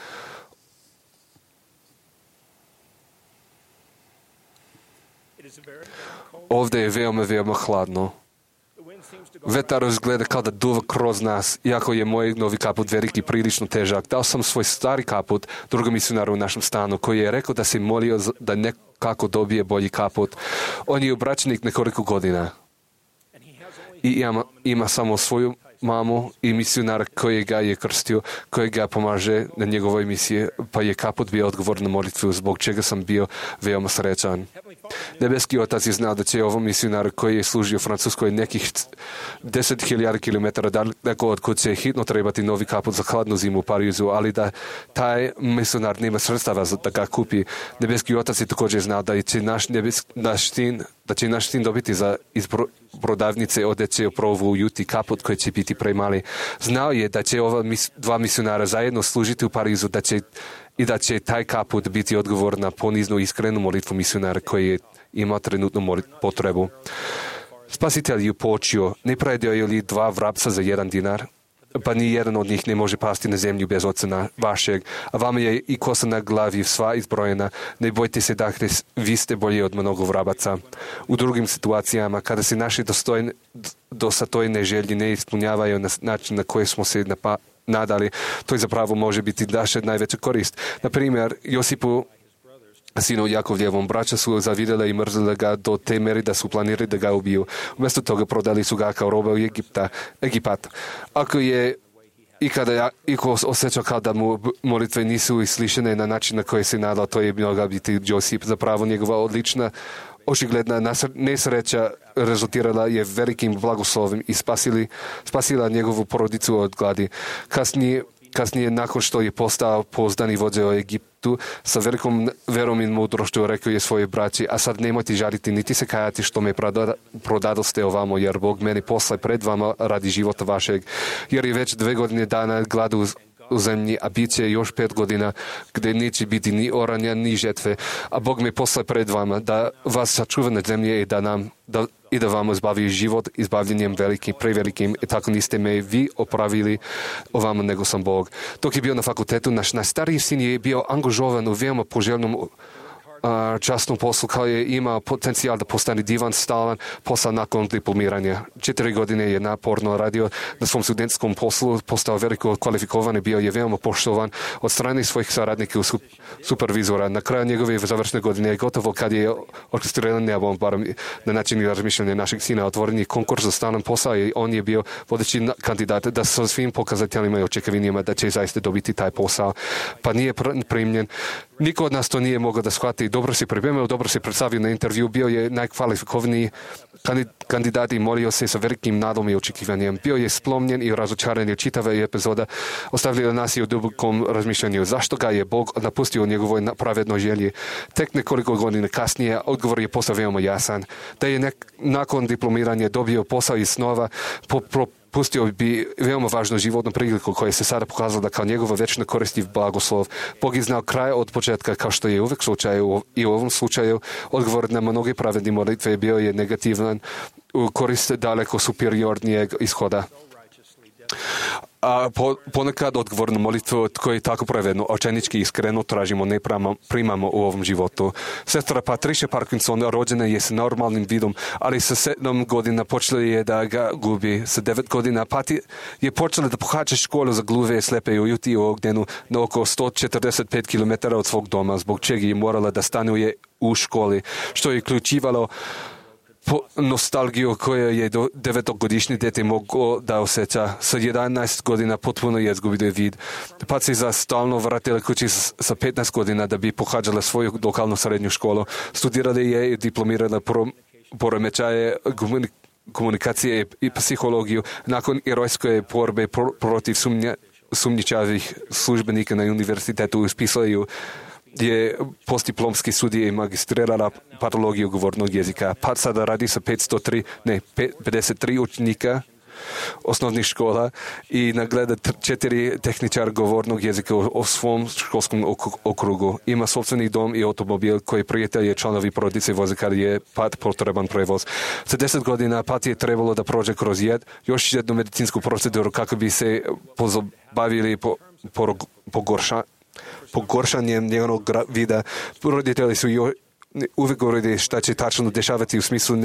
Ovdje je veoma, veoma hladno. Vetar izgleda kao da duva kroz nas, iako je moj novi kaput veliki prilično težak. Dao sam svoj stari kaput drugom misionaru u našem stanu, koji je rekao da se molio da nekako dobije bolji kaput. On je obraćenik nekoliko godina i ima, ima samo svoju mamu i misionara koji ga je krstio, koji ga pomaže na njegovoj misiji, pa je kaput bio odgovor na molitvu, zbog čega sam bio veoma srećan. Nebeski otac je znao da će ovom misionaru koji je služio u Francuskoj nekih deset hiljada kilometara daleko od kud će hitno trebati novi kaput za hladnu zimu u Parizu, ali da taj misionar nema sredstava da ga kupi. Nebeski otac je također znao da će naš, nebes, naš sin, da će naš sin dobiti za iz prodavnice odeće u provu u Juti kaput koji će biti premali. Znao je da će ova mis, dva misionara zajedno služiti u Parizu, da će i da će taj kaput biti odgovor na poniznu iskrenu molitvu misionara koji je imao trenutnu potrebu. Spasitelj je počeo, ne predaju li dva vrapca za jedan dinar, pa ni jedan od njih ne može pasti na zemlju bez oca vašeg, a vama je i kosa na glavi sva izbrojena. Ne bojte se, dakle, vi ste bolji od mnogo vrabaca. U drugim situacijama, kada se naše dostojne, dosatojne želje ne ispunjavaju na način na koji smo se napa, nadali, to je zapravo može biti naša najveća korist. Na primjer, Josipu, sinu Jakovljevom, braća su zavidjeli i mrzili ga do te meri da su planirali da ga ubiju. Umjesto toga prodali su ga kao roba u Egipta, Egipat. Ako je i kada iko osjećao kao da mu molitve nisu islišene na način na koji se nadao, to je mogla biti Josip. Zapravo njegova odlična očigledna nesreća rezultirala je velikim blagoslovim i spasili, spasila njegovu porodicu od gladi. Kasnije, kasnije, nakon što je postao pouzdani vođa u Egiptu, sa velikom verom i mudrošću rekao je svoje braći, a sad nemojte žaliti niti se kajati što me prodadoste ovamo, jer Bog meni posla pred vama radi života vašeg, jer je već dve godine dana gladu u zemlji, a bit će još pet godina gdje neće biti ni oranja, ni žetve, a Bog me posla pred vama da vas sačuva na zemlji i da nam da, i da vam izbavi život izbavljenjem velikim, prevelikim, i tako niste me vi opravili ovamo nego sam Bog. Dok je bio na fakultetu, naš najstariji sin je bio angažovan u veoma poželjnom časnom poslu, kao je imao potencijal da postane divan, stalan posao nakon diplomiranja. Četiri godine je naporno radio na svom studentskom poslu, postao veliko kvalifikovan i bio je veoma poštovan od strane svojih saradnika i supervizora. Na kraju njegove završne godine je gotovo kad je orkestriran nebo, barem na način razmišljanja našeg sina, otvoren je konkurs za stalan posao i on je bio vodeći kandidat da sa svim pokazateljima i očekivanjima da će zaista dobiti taj posao. Pa nije primljen. Niko od nas to nije mogao da shvati. Dobro se pripremio, dobro se predstavio na intervju, bio je najkvalifikovaniji kandidat i molio se sa velikim nadom i očekivanjem. Bio je splomljen i razočaran, je čitava epizoda ostavljala nas i u dubokom razmišljanju. Zašto ga je Bog napustio u njegovoj pravednoj želji? Tek nekoliko godina kasnije odgovor je postao veoma jasan. Da je nek, nakon diplomiranja dobio posao iz snova, po, po, pustio bi veoma važnu životnu priliku koja se sada pokazala da kao njegova večna koristi blagoslov. Bog je znao kraj od početka, kao što je uvek slučaj i u ovom slučaju. Odgovor na mnoge pravedne molitve bio je negativan u korist daleko superiornijeg ishoda. A po, ponekad odgovor na molitvu koji je tako pravedno, očajnički iskreno tražimo, ne prama, primamo u ovom životu. Sestra Patricia Parkinson rođena je s normalnim vidom, ali sa sedam godina počela je da ga gubi. Sa devet godina Pati je počela da pohađa školu za gluve i slepe u Juti u Ogdenu na oko sto četrdeset pet kilometara od svog doma, zbog čega je morala da stanuje u školi, što je uključivalo po nostalgiju koja je do devetogodišnji dete moglo da osjeća. Sa jedanaest godina potpuno je izgubio vid. Pa se za stalno vratila kući sa petnaest godina da bi pohađala svoju lokalnu srednju školu. Studirala je i diplomirala poremećaje komunikacije i psihologiju. Nakon herojske borbe protiv sumnja, sumnjičavih službenika na univerzitetu uspisala ju je postdiplomski studij i magistrirala patologiju govornog jezika. Pa sada radi sa petsto tri, ne, pedeset tri učenika osnovnih škola i nagleda četiri tehničara govornog jezika u, u svom školskom okrugu. Ima sopstveni dom i automobil koji prijatelji članovi porodice voze kada je Pat potreban prevoz. Za deset godina Pat je trebalo da prođe kroz jed, još jednu medicinsku proceduru kako bi se pozabavili po, po, pogorša, pogoršanjem njegovog vida. Roditelji su joj uvijek govorili šta će tačno dešavati u smislu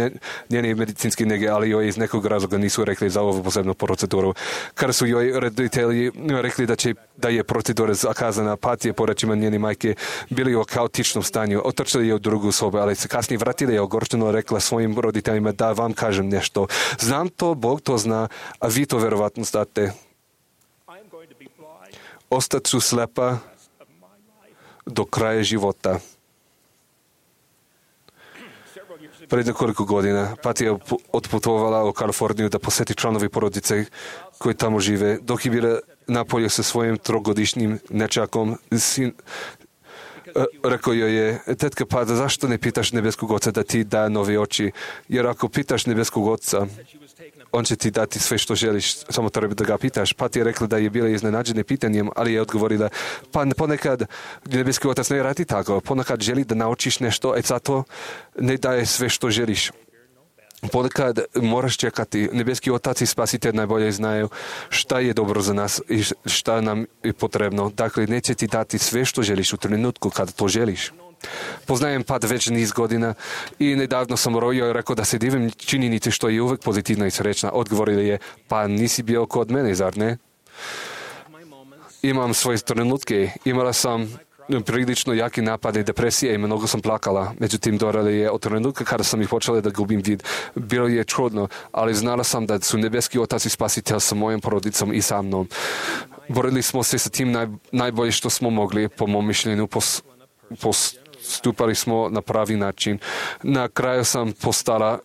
njene medicinske nege, ali joj iz nekog razloga nisu rekli za ovu posebnu proceduru. Kada su joj roditelji rekli da, će, da je procedura zakazana, Pat je po rečima njene majke bili u kaotičnom stanju. Otrčali je u drugu sobu, ali se kasnije vratili je ogorčeno rekla svojim roditeljima da vam kažem nešto. Znam to, Bog to zna, a vi to verovatno znate. Ostat ću slepa do kraja života. Pred nekoliko godina Pat je otputovala u Kaliforniju da posjeti članovi porodice koji tamo žive. Dok je bila napolje sa svojim trogodišnjim nečakom, sin, rekao joj je, tetka Pat, zašto ne pitaš nebeskog oca da ti da nove oči? Jer ako pitaš nebeskog oca, on će ti dati sve što želiš, samo treba da ga pitaš. Pat je rekla da je bila iznenađena pitanjem, ali je odgovorila, pa ponekad nebeski otac ne radi tako, ponekad želi da naučiš nešto, a zato ne daje sve što želiš. Ponekad moraš čekati. Nebeski otac i spasitelj najbolje znaju šta je dobro za nas i šta nam je potrebno. Dakle, neće ti dati sve što želiš u trenutku kada to želiš. Poznajem Pat već niz godina i nedavno sam rojio i rekao da se divim činjenici što je uvek pozitivna i srećna. Odgovorila je, pa nisi bio kod mene, zar ne? Imam svoje trenutke. Imala sam prilično jaki napade depresije i mnogo sam plakala. Međutim, dorala je od trenutka kada sam ih počela da gubim vid. Bilo je čudno, ali znala sam da su nebeski otac i spasitelj sa mojom porodicom i sa mnom. Borili smo se sa tim naj, najbolje što smo mogli, po mom mišljenju, pos, postupali smo na pravi način. Na kraju sam postala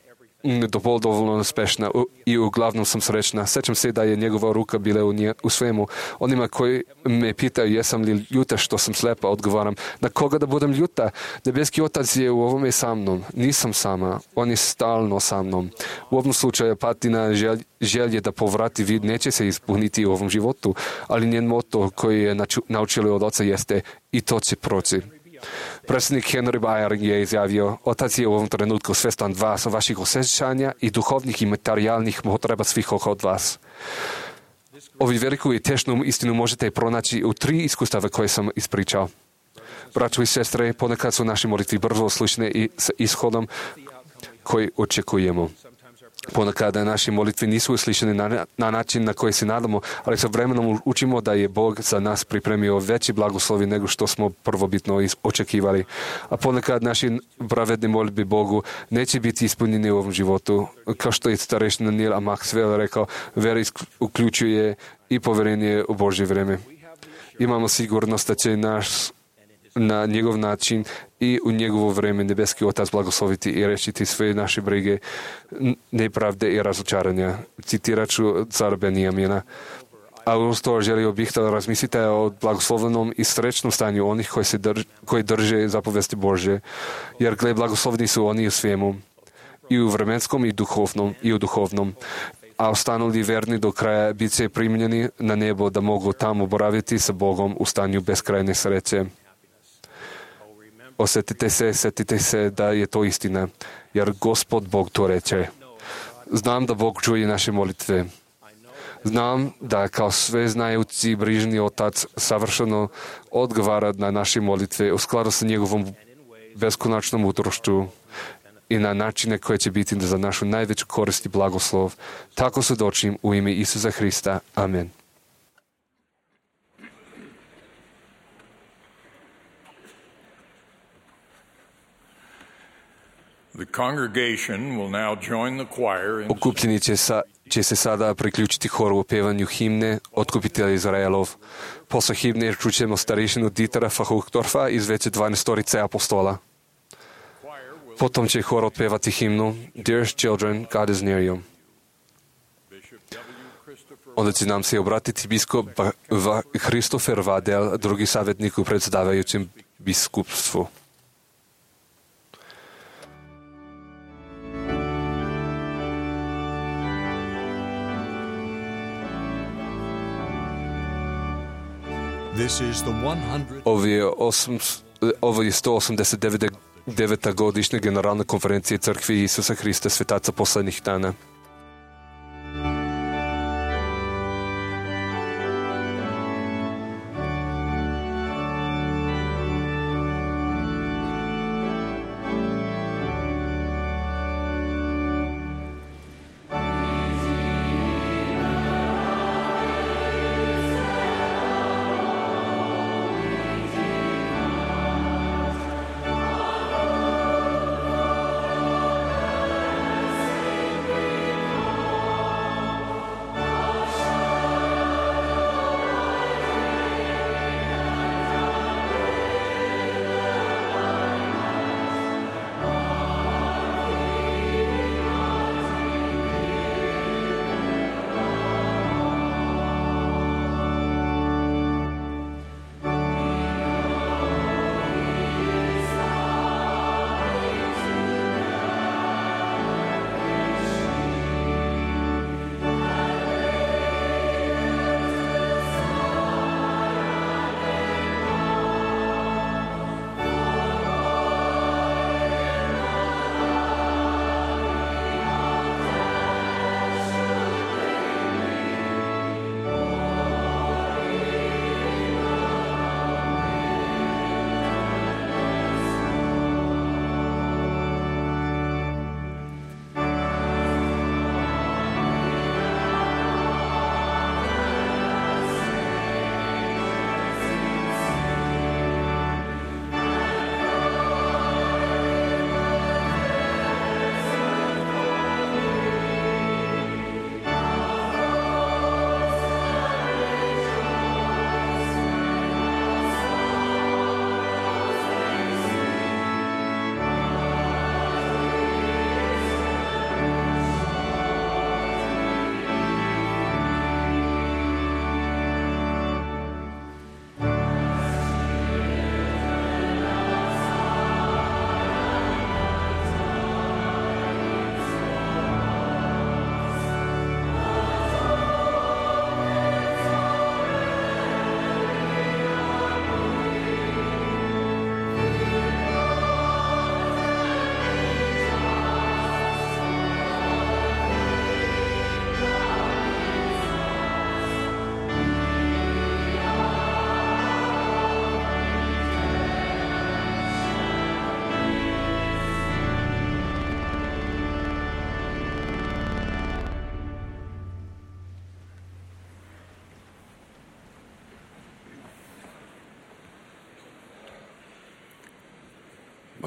dovoljno uspešna i uglavnom sam srećna. Sećam se da je njegova ruka bila u, nje, u svemu. Onima koji me pitaju jesam li ljuta što sam slepa, odgovaram, na koga da budem ljuta? Nebeski otac je u ovome sa mnom. Nisam sama. On je stalno sa mnom. U ovom slučaju Patina želj, želje da povrati vid neće se ispuniti u ovom životu, ali njen moto koji je naučili od oca jeste i to će proći. Predsjednik Henry Bayer je izjavio, otac je u ovom trenutku svestan vas, vaših osjećanja i duhovnih i materijalnih potreba svih od vas. Ovi veliku i tešnu istinu možete pronaći u tri iskustava koje sam ispričao. Braćo i sestre, ponekad su naše molitve brzo slične i s ishodom koji očekujemo. Ponekad naše molitve nisu uslišene na, na način na koji se nadamo, ali sa vremenom učimo da je Bog za nas pripremio veći blagoslovi nego što smo prvobitno očekivali. A ponekad naše pravedne molitbe Bogu neće biti ispunjene u ovom životu. Kao što je starešina Neil A. Maxwell rekao, vera uključuje i poverenje u Božje vreme. Imamo sigurnost da će naš na njegov način i u njegovo vreme nebeski otac blagosloviti i rešiti sve naše brige, nepravde i razočaranja. Citirat ću cara Benjamina. A uz to želio bih da razmislite o blagoslovnom i srećnom stanju onih koji, se drž, koji drže zapovesti Božje. Jer gle, blagoslovni su oni u svemu. I u vremenskom i duhovnom i u duhovnom. A ostanuli verni do kraja bit će primljeni na nebo da mogu tamo boraviti sa Bogom u stanju beskrajne sreće. Osjetite se, setite se da je to istina, jer Gospod Bog to reče. Znam da Bog čuje naše molitve. Znam da kao sve znajući brižni Otac savršeno odgovara na naše molitve u skladu sa njegovom beskonačnom mudrošću i na načine koje će biti za našu najveću korist i blagoslov. Tako svjedočim u ime Isusa Hrista. Amen. Okupljeni će, sa, će se sada priključiti horu u pevanju himne Otkupitelj Izraelov. Posle himne čućemo starešinu Dietera Fachuchtorfa iz veće dvanaestorice apostola. Potom će hor otpevati himnu Dearest Children, God is near you. Onda će nam se obratiti biskop Christopher Vadel, drugi savjetnik u predsjedavajućem biskupstvu. Ovo je, osam, ovo je sto osamdeset deveta godišnja generalna konferencija Crkve Isusa Hrista svetaca poslednjih dana.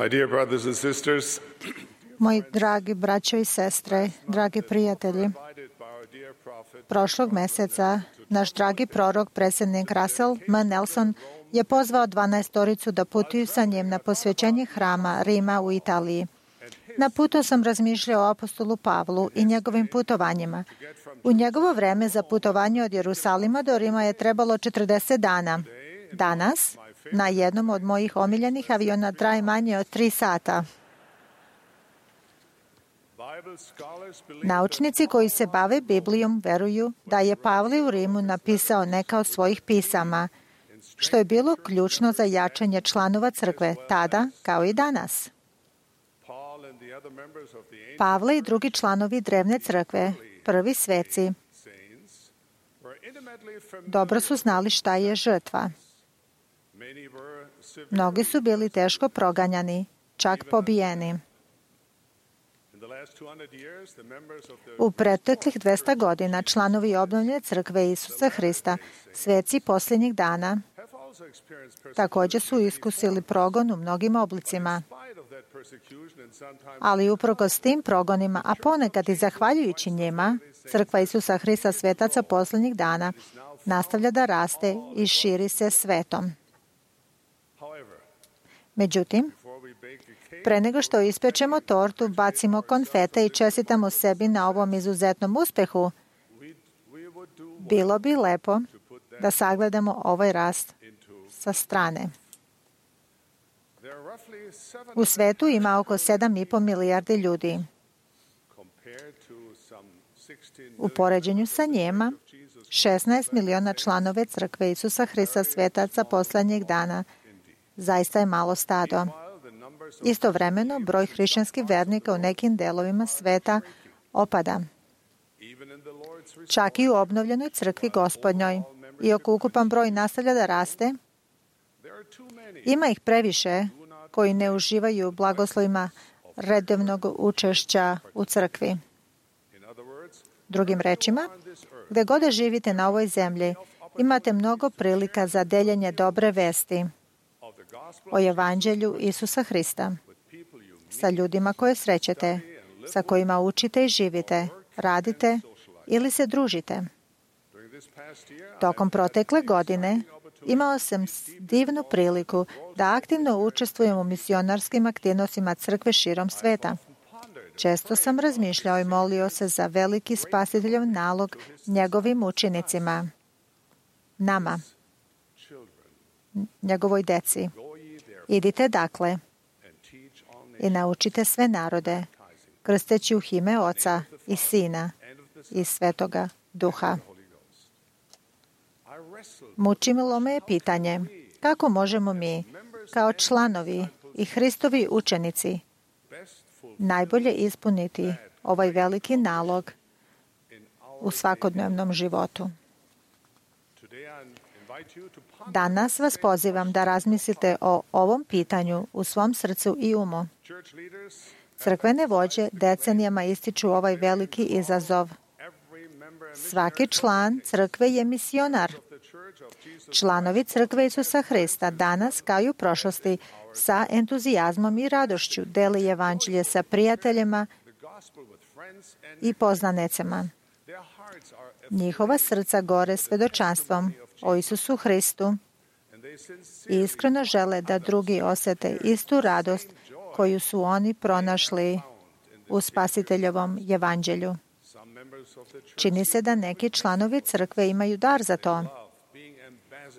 My dear brothers and sisters, moji dragi braćo i sestre, dragi prijatelji, prošlog meseca naš dragi prorok, predsjednik Russell M. Nelson, je pozvao dvanaestoricu da putuju sa njim na posvećenje hrama Rima u Italiji. Na putu sam razmišljao o apostolu Pavlu i njegovim putovanjima. U njegovo vreme za putovanje od Jerusalima do Rima je trebalo četrdeset dana. Danas, na jednom od mojih omiljenih aviona traje manje od tri sata. Naučnici koji se bave Biblijom veruju da je Pavle u Rimu napisao neka od svojih pisama, što je bilo ključno za jačanje članova crkve tada kao i danas. Pavle i drugi članovi drevne crkve, prvi sveci, Dobro su znali šta je žrtva. Mnogi su bili teško proganjani, čak pobijeni. U preteklih dvesta godina članovi obnovljene crkve Isusa Hrista, sveci posljednjih dana, također su iskusili progon u mnogim oblicima. Ali uprkos tim progonima, a ponekad i zahvaljujući njima, crkva Isusa Hrista svetaca posljednjih dana nastavlja da raste i širi se svetom. Međutim, pre nego što ispečemo tortu, bacimo konfete i čestitamo sebi na ovom izuzetnom uspehu, bilo bi lepo da sagledamo ovaj rast sa strane. U svetu ima oko sedam i po milijardi ljudi. U poređenju sa njima, šesnaest miliona članove crkve Isusa Hrista svetaca posljednjih dana zaista je malo stado. Istovremeno, broj hrišćanskih vernika u nekim delovima sveta opada. Čak i u obnovljenoj crkvi Gospodnjoj, iako ukupan broj nastavlja da raste, ima ih previše koji ne uživaju u blagoslovima redovnog učešća u crkvi. Drugim rečima, gde god da živite na ovoj zemlji, imate mnogo prilika za deljenje dobre vesti o evanđelju Isusa Hrista sa ljudima koje srećete, sa kojima učite i živite, radite ili se družite. Tokom protekle godine imao sam divnu priliku da aktivno učestvujem u misionarskim aktivnostima crkve širom sveta. Često sam razmišljao i molio se za veliki spasiteljov nalog njegovim učenicima, nama, njegovoj deci. Idite dakle i naučite sve narode, krsteći u ime Oca i Sina i Svetoga Duha. Mučilo me je pitanje kako možemo mi, kao članovi i Hristovi učenici, najbolje ispuniti ovaj veliki nalog u svakodnevnom životu. Danas vas pozivam da razmislite o ovom pitanju u svom srcu i umu. Crkvene vođe decenijama ističu ovaj veliki izazov. Svaki član crkve je misionar. Članovi crkve Isusa Hrista danas, kao i u prošlosti, sa entuzijazmom i radošću deli evanđelje sa prijateljima i poznanicama. Njihova srca gore svedočanstvom o Isusu Hristu i iskreno žele da drugi osete istu radost koju su oni pronašli u Spasiteljevom evanđelju. Čini se da neki članovi crkve imaju dar za to.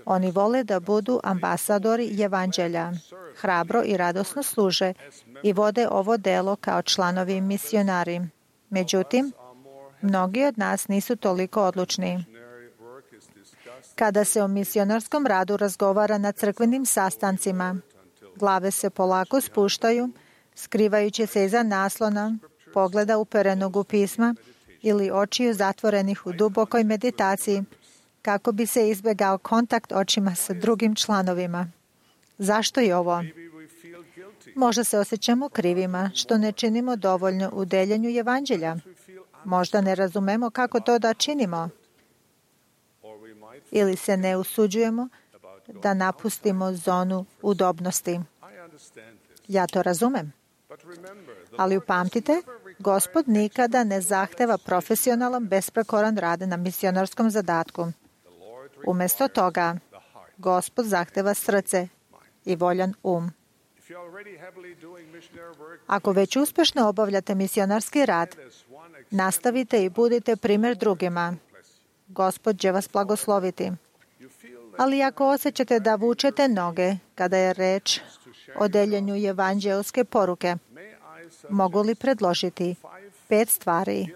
Oni vole da budu ambasadori evanđelja, hrabro i radosno služe i vode ovo delo kao članovi misionari. Međutim, mnogi od nas nisu toliko odlučni. Kada se o misionarskom radu razgovara na crkvenim sastancima, glave se polako spuštaju, skrivajući se iza naslona, pogleda uperenog u pisma ili očiju zatvorenih u dubokoj meditaciji, kako bi se izbjegao kontakt očima sa drugim članovima. Zašto je ovo? Možda se osjećamo krivima što ne činimo dovoljno u deljenju evanđelja. Možda ne razumemo kako to da činimo. Ili se ne usuđujemo da napustimo zonu udobnosti. Ja to razumem. Ali upamtite, Gospod nikada ne zahteva profesionalan, besprekoran rad na misionarskom zadatku. Umjesto toga, Gospod zahteva srce i voljan um. Ako već uspješno obavljate misionarski rad, nastavite i budite primjer drugima. Gospod će vas blagosloviti. Ali ako osjećate da vučete noge kada je reč o deljenju evanđelske poruke, mogu li predložiti pet stvari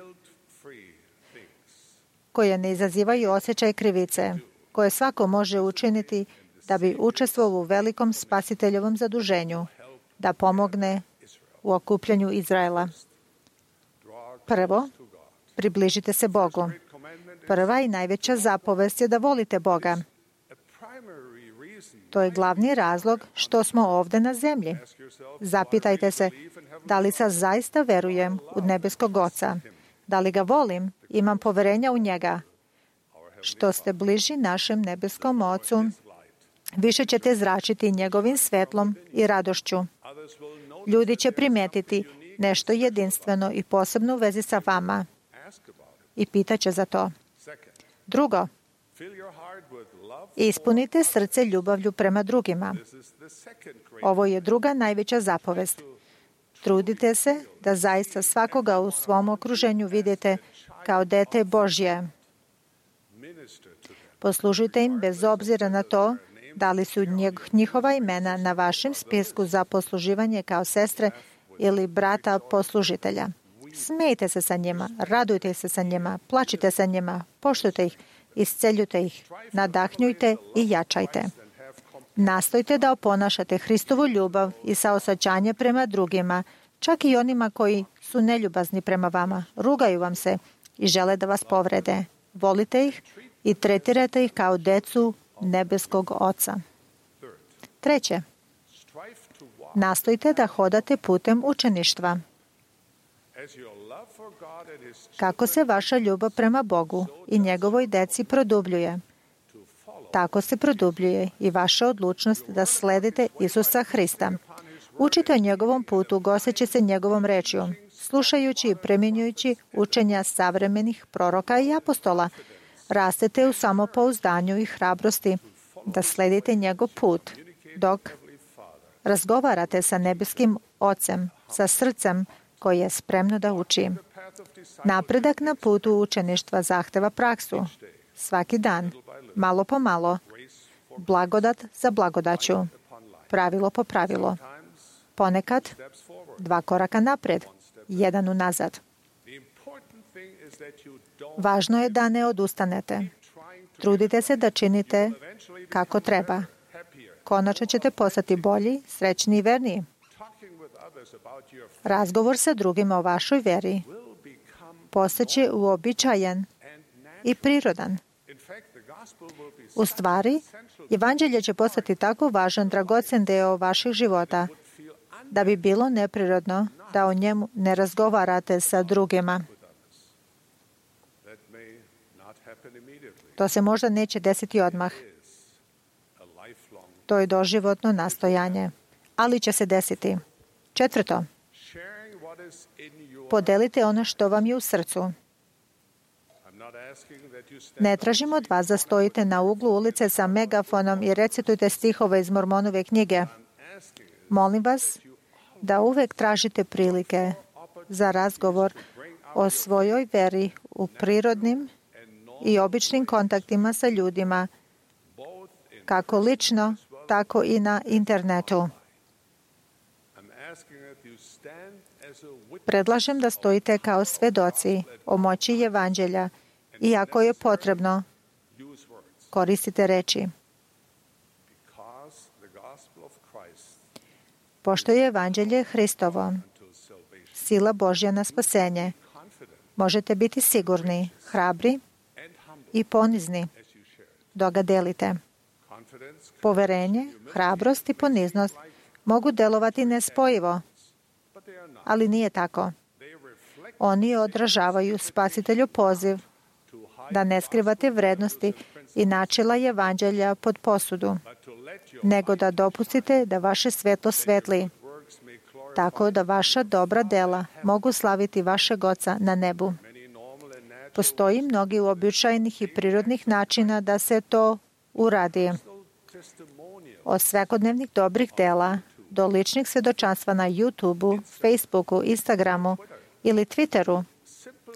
koje ne izazivaju osjećaj krivice, koje svako može učiniti da bi učestvovao u velikom spasiteljevom zaduženju, da pomogne u okupljanju Izraela. Prvo, približite se Bogu. Prva i najveća zapovest je da volite Boga. To je glavni razlog što smo ovde na zemlji. Zapitajte se, da li sad zaista verujem u nebeskog Oca? Da li ga volim? Imam poverenja u njega. Što ste bliži našem nebeskom Ocu, više ćete zračiti njegovim svetlom i radošću. Ljudi će primetiti nešto jedinstveno i posebno u vezi sa vama i pitaće za to. Drugo, ispunite srce ljubavlju prema drugima. Ovo je druga najveća zapovest. Trudite se da zaista svakoga u svom okruženju vidite kao dete Božje. Poslužujte im bez obzira na to da li su njihova imena na vašem spisku za posluživanje kao sestre ili brata poslužitelja. Smejte se sa njima, radujte se sa njima, plačite sa njima, poštujte ih, isceljujte ih, nadahnjujte i jačajte. Nastojte da oponašate Hristovu ljubav i saosećanje prema drugima, čak i onima koji su neljubazni prema vama, rugaju vam se i žele da vas povrede. Volite ih i tretirate ih kao decu nebeskog Oca. Treće, nastojte da hodate putem učeništva. Kako se vaša ljubav prema Bogu i njegovoj deci produbljuje, tako se produbljuje i vaša odlučnost da sledite Isusa Hrista. Učite o njegovom putu, goseći se njegovom rečju, slušajući i primjenjujući učenja savremenih proroka i apostola. Rastete u samopouzdanju i hrabrosti da sledite njegov put, dok razgovarate sa nebeskim Ocem, sa srcem koje je spremno da uči. Napredak na putu učeništva zahteva praksu. Svaki dan, malo po malo, blagodat za blagodaću, pravilo po pravilo. Ponekad dva koraka napred, jedan unazad. Važno je da ne odustanete. Trudite se da činite kako treba. Konačno ćete postati bolji, srećni i verniji. Razgovor sa drugima o vašoj veri postaće uobičajen i prirodan. U stvari, evanđelje će postati tako važan, dragocen deo vaših života, da bi bilo neprirodno da o njemu ne razgovarate sa drugima. To se možda neće desiti odmah. To je doživotno nastojanje, ali će se desiti. Četvrto, podelite ono što vam je u srcu. Ne tražim od vas da stojite na uglu ulice sa megafonom i recitujte stihove iz Mormonove knjige. Molim vas da uvek tražite prilike za razgovor o svojoj veri u prirodnim i običnim kontaktima sa ljudima, kako lično, tako i na internetu. Predlažem da stojite kao svedoci o moći evanđelja i ako je potrebno, koristite reči. Pošto je evanđelje Hristovo, sila Božja na spasenje, možete biti sigurni, hrabri i ponizni dok ga delite. Poverenje, hrabrost i poniznost mogu delovati nespojivo, ali nije tako. Oni odražavaju Spasitelju poziv da ne skrivate vrednosti i načela evanđelja pod posudu, nego da dopustite da vaše svetlo svetli, tako da vaša dobra dela mogu slaviti vašeg Oca na nebu. Postoji mnogi uobičajenih i prirodnih načina da se to uradi. Od svakodnevnih dobrih dela do ličnih svedočanstva na YouTubeu, Facebooku, Instagramu ili Twitteru,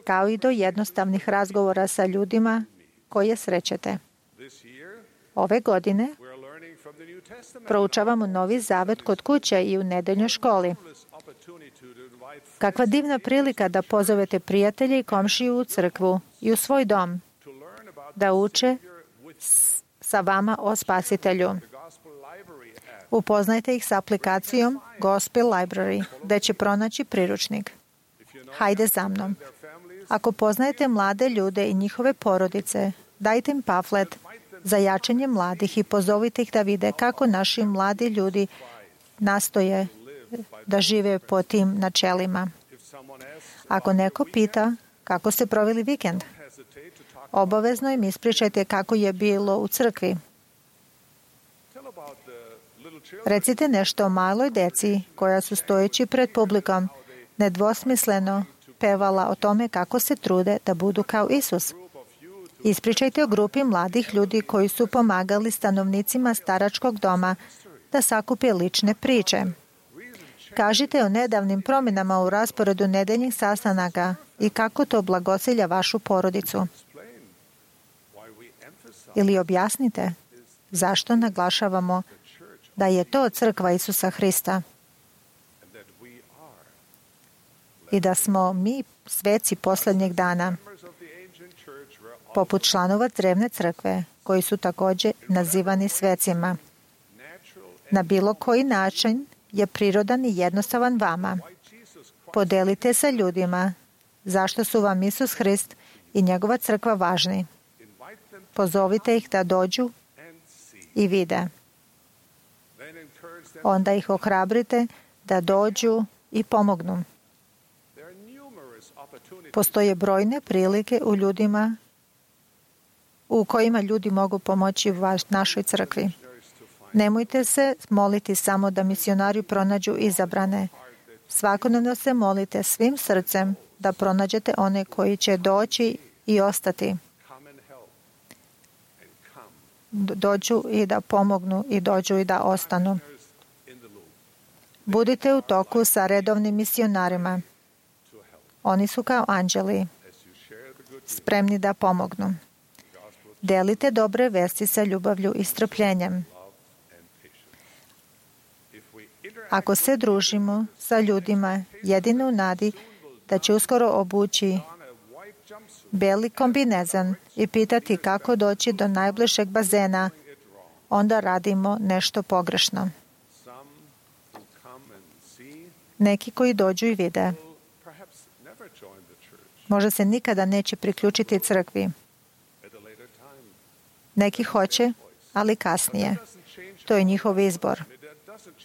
kao i do jednostavnih razgovora sa ljudima koje srećete. Ove godine proučavamo Novi Zavet kod kuće i u nedeljnoj školi. Kakva divna prilika da pozovete prijatelje i komšiju u crkvu i u svoj dom, da uče sa vama o Spasitelju. Upoznajte ih s aplikacijom Gospel Library, gde će pronaći priručnik. Hajde za mnom. Ako poznajete mlade ljude i njihove porodice, dajte im pamflet za jačanje mladih i pozovite ih da vide kako naši mladi ljudi nastoje da žive po tim načelima. Ako neko pita kako ste proveli vikend, obavezno im ispričajte kako je bilo u crkvi. Recite nešto o maloj deci koja su stojeći pred publikom nedvosmisleno pevala o tome kako se trude da budu kao Isus. Ispričajte o grupi mladih ljudi koji su pomagali stanovnicima staračkog doma da sakupe lične priče. Kažite o nedavnim promjenama u rasporedu nedeljnih sastanaka i kako to blagosilja vašu porodicu. Ili objasnite zašto naglašavamo da je to crkva Isusa Hrista i da smo mi sveci posljednjeg dana, poput članova drevne crkve, koji su također nazivani svecima. Na bilo koji način je prirodan i jednostavan vama. Podelite sa ljudima zašto su vam Isus Hrist i njegova crkva važni. Pozovite ih da dođu i vide. Onda ih ohrabrite da dođu i pomognu. Postoje brojne prilike u ljudima u kojima ljudi mogu pomoći vaš, našoj crkvi. Nemojte se moliti samo da misionari pronađu izabrane. Svakodnevno se molite svim srcem da pronađete one koji će doći i ostati. Dođu i da pomognu i dođu i da ostanu. Budite u toku sa redovnim misionarima. Oni su kao anđeli, spremni da pomognu. Delite dobre vesti sa ljubavlju i strpljenjem. Ako se družimo sa ljudima, jedino u nadi da će uskoro obući beli kombinezon i pitati kako doći do najbližeg bazena, onda radimo nešto pogrešno. Neki koji dođu i vide, možda se nikada neće priključiti crkvi. Neki hoće, ali kasnije. To je njihov izbor.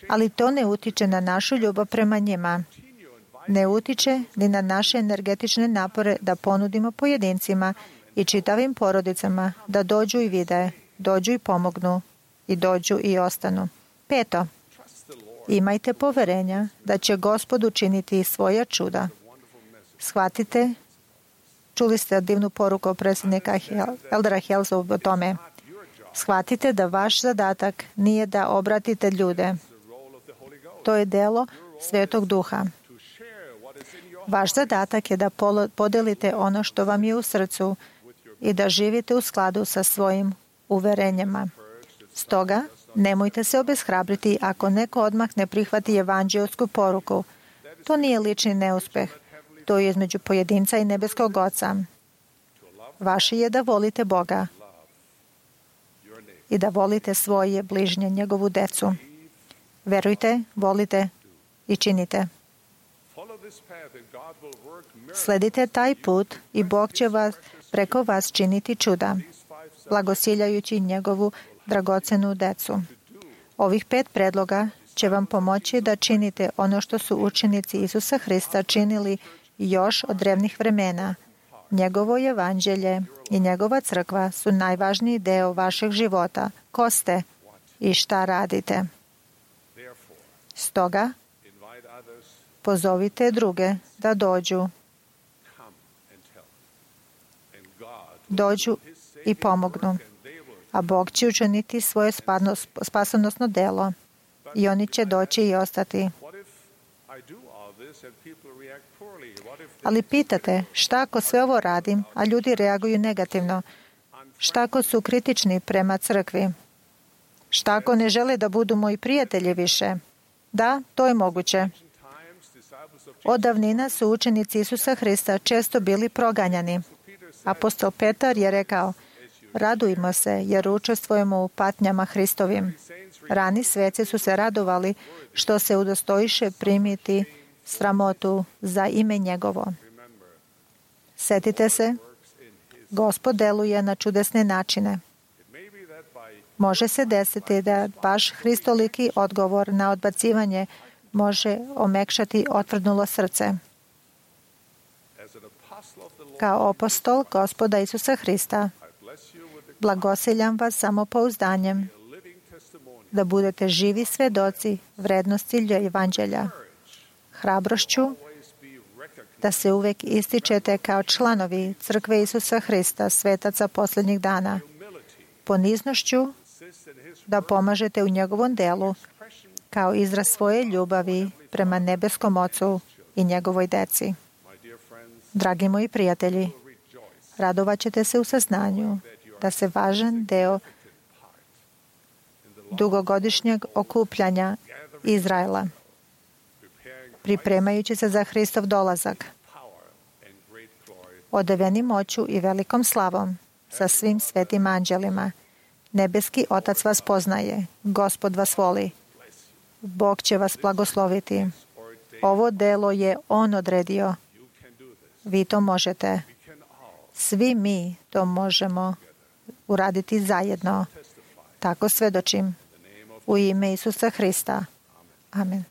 Ali to ne utiče na našu ljubav prema njima. Ne utiče ni na naše energetične napore da ponudimo pojedincima i čitavim porodicama da dođu i vide, dođu i pomognu i dođu i ostanu. Peto, imajte poverenja da će Gospod učiniti svoja čuda. Shvatite, čuli ste divnu poruku predsjednika Eldera Helsa o tome. Shvatite da vaš zadatak nije da obratite ljude. To je delo Svetog Duha. Vaš zadatak je da podelite ono što vam je u srcu i da živite u skladu sa svojim uverenjima. Stoga, nemojte se obeshrabriti ako neko odmah ne prihvati evanđeosku poruku. To nije lični neuspeh. To je između pojedinca i nebeskog Oca. Vaše je da volite Boga i da volite svoje bližnje, njegovu decu. Verujte, volite i činite. Sledite taj put i Bog će vas preko vas činiti čuda, blagosiljajući njegovu dragocenu decu. Ovih pet predloga će vam pomoći da činite ono što su učenici Isusa Hrista činili još od drevnih vremena. Njegovo evanđelje i njegova crkva su najvažniji deo vašeg života. Ko ste i šta radite? Stoga, pozovite druge da dođu. Dođu i pomognu. A Bog će učiniti svoje spasonosno delo i oni će doći i ostati. Ali pitate, šta ako sve ovo radim, a ljudi reaguju negativno? Šta ako su kritični prema crkvi? Šta ako ne žele da budu moji prijatelji više? Da, to je moguće. Od davnina su učenici Isusa Hrista često bili proganjani. Apostol Petar je rekao, radujmo se jer učestvujemo u patnjama Hristovim. Rani sveci su se radovali što se udostojiše primiti sramotu za ime njegovo. Setite se, Gospod deluje na čudesne načine. Može se desiti da baš hristoliki odgovor na odbacivanje može omekšati otvrdnulo srce. Kao apostol Gospoda Isusa Hrista, blagosiljam vas samopouzdanjem da budete živi svedoci vrednosti evanđelja, hrabrošću da se uvek ističete kao članovi Crkve Isusa Hrista, svetaca posljednjih dana, poniznošću da pomažete u njegovom delu kao izraz svoje ljubavi prema nebeskom Ocu i njegovoj deci. Dragi moji prijatelji, radovat ćete se u saznanju da se važan deo dugogodišnjeg okupljanja Izraela, pripremajući se za Hristov dolazak, odeveni moću i velikom slavom sa svim svetim anđelima. Nebeski Otac vas poznaje, Gospod vas voli. Bog će vas blagosloviti. Ovo delo je On odredio. Vi to možete. Svi mi to možemo uraditi zajedno. Tako svedočim. U ime Isusa Hrista. Amen.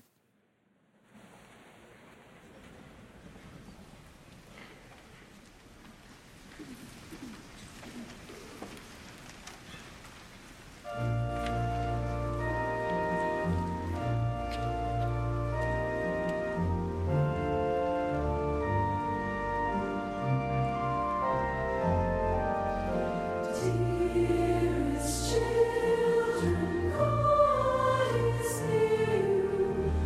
Dearest children, God is near you.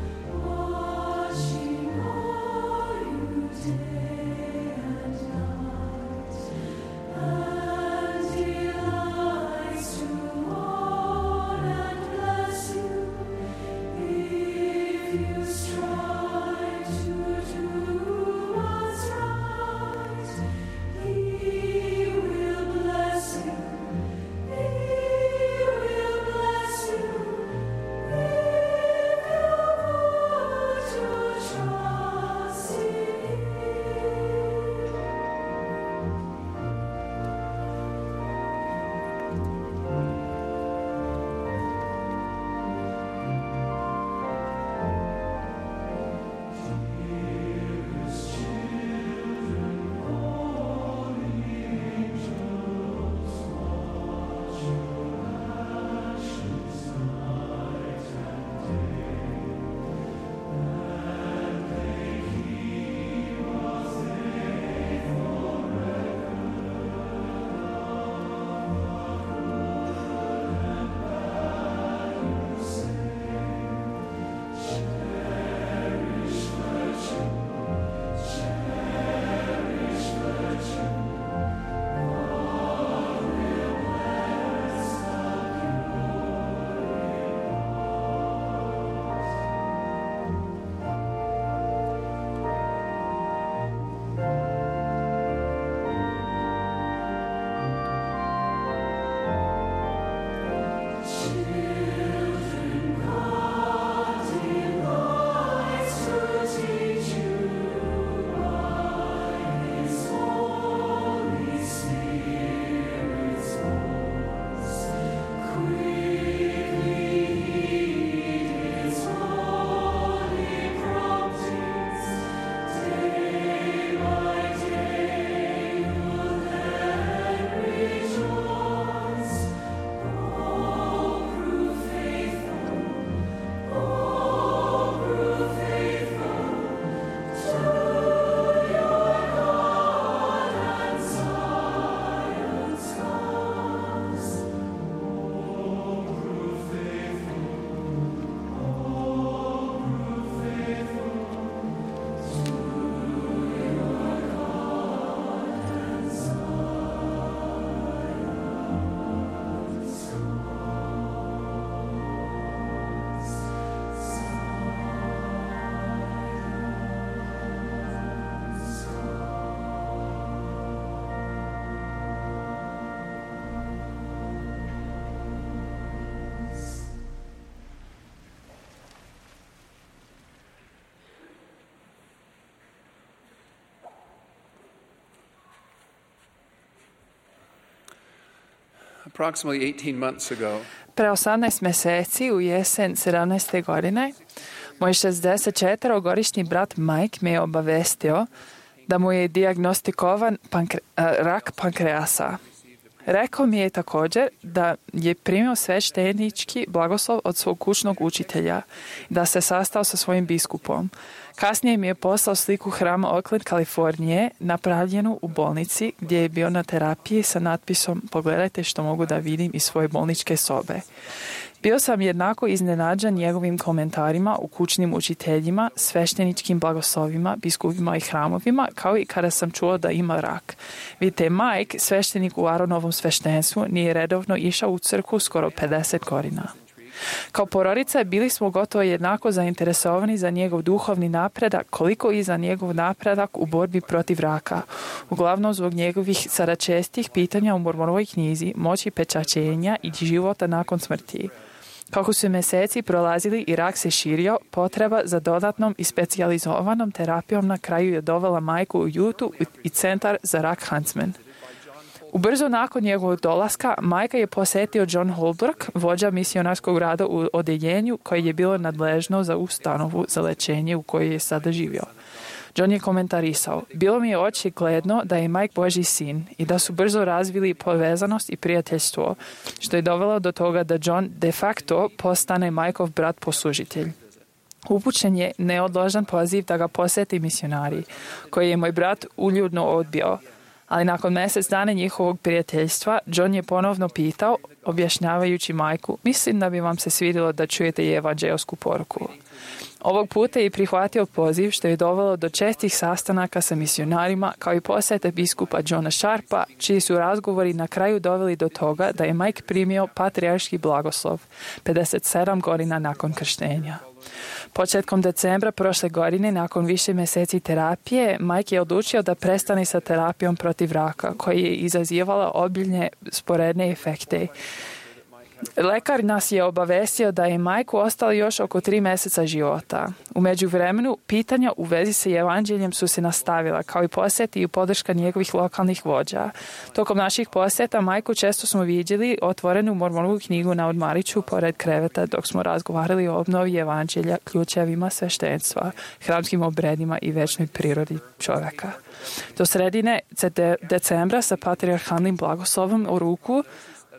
Approximately eighteen months ago, Pre osamnaest meseci u jesen sedamnaeste godine, moj šezdeset četvorogodišnji brat Mike me je obavestio da mu je dijagnostikovan pankre, rak pankreasa. Rekao mi je također da je primio sveštenički blagoslov od svog kućnog učitelja, da se sastao sa svojim biskupom. Kasnije mi je poslao sliku hrama Oakland, Kalifornije, napravljenu u bolnici gdje je bio na terapiji sa natpisom "Pogledajte što mogu da vidim iz svoje bolničke sobe". Bio sam jednako iznenađen njegovim komentarima u kućnim učiteljima, svešteničkim blagoslovima, biskupima i hramovima, kao i kada sam čuo da ima rak. Vidite, Mike, sveštenik u Aronovom sveštenstvu, nije redovno išao u crkvu skoro pedeset godina. Kao porodica bili smo gotovo jednako zainteresovani za njegov duhovni napredak, koliko i za njegov napredak u borbi protiv raka, uglavnom zbog njegovih sada čestih pitanja u Mormonovoj knjizi, moći pečaćenja i života nakon smrti. Kako su mjeseci prolazili i rak se širio, potreba za dodatnom i specijalizovanom terapijom na kraju je dovela majku u Jutu i centar za rak Huntsman. Ubrzo nakon njegovog dolaska, majka je posjetio John Holbrook, vođa misionarskog rada u odeljenju koje je bilo nadležno za ustanovu za lečenje u kojoj je sada živio. John je komentarisao: "Bilo mi je očigledno da je Mike Božji sin i da su brzo razvili povezanost i prijateljstvo, što je dovelo do toga da John de facto postane Mikeov brat poslužitelj. Upućen je neodložan poziv da ga posjeti misionari, koji je moj brat uljudno odbio. Ali nakon mjesec dana njihovog prijateljstva, John je ponovno pitao, objašnjavajući majku: "Mislim da bi vam se svidjelo da čujete i evanđeosku poruku." Ovog puta je prihvatio poziv, što je dovelo do čestih sastanaka sa misionarima, kao i posjete biskupa Johna Sharpa, čiji su razgovori na kraju doveli do toga da je Mike primio patrijarški blagoslov pedeset sedam godina nakon krštenja. Početkom decembra prošle godine, nakon više mjeseci terapije, Mike je odlučio da prestane sa terapijom protiv raka, koja je izazivala obiljne sporedne efekte. Lekar nas je obavestio da je Majku ostalo još oko tri mjeseca života. U međuvremenu, pitanja u vezi sa evanđeljem su se nastavila, kao i posjeti i podrška njegovih lokalnih vođa. Tokom naših posjeta Majku često smo vidjeli otvorenu Mormonovu knjigu na odmariću pored kreveta dok smo razgovarali o obnovi evanđelja, ključevima sveštenstva, hramskim obredima i večnoj prirodi čovjeka. Do sredine decembra sa patrijarhalnim blagoslovom u ruku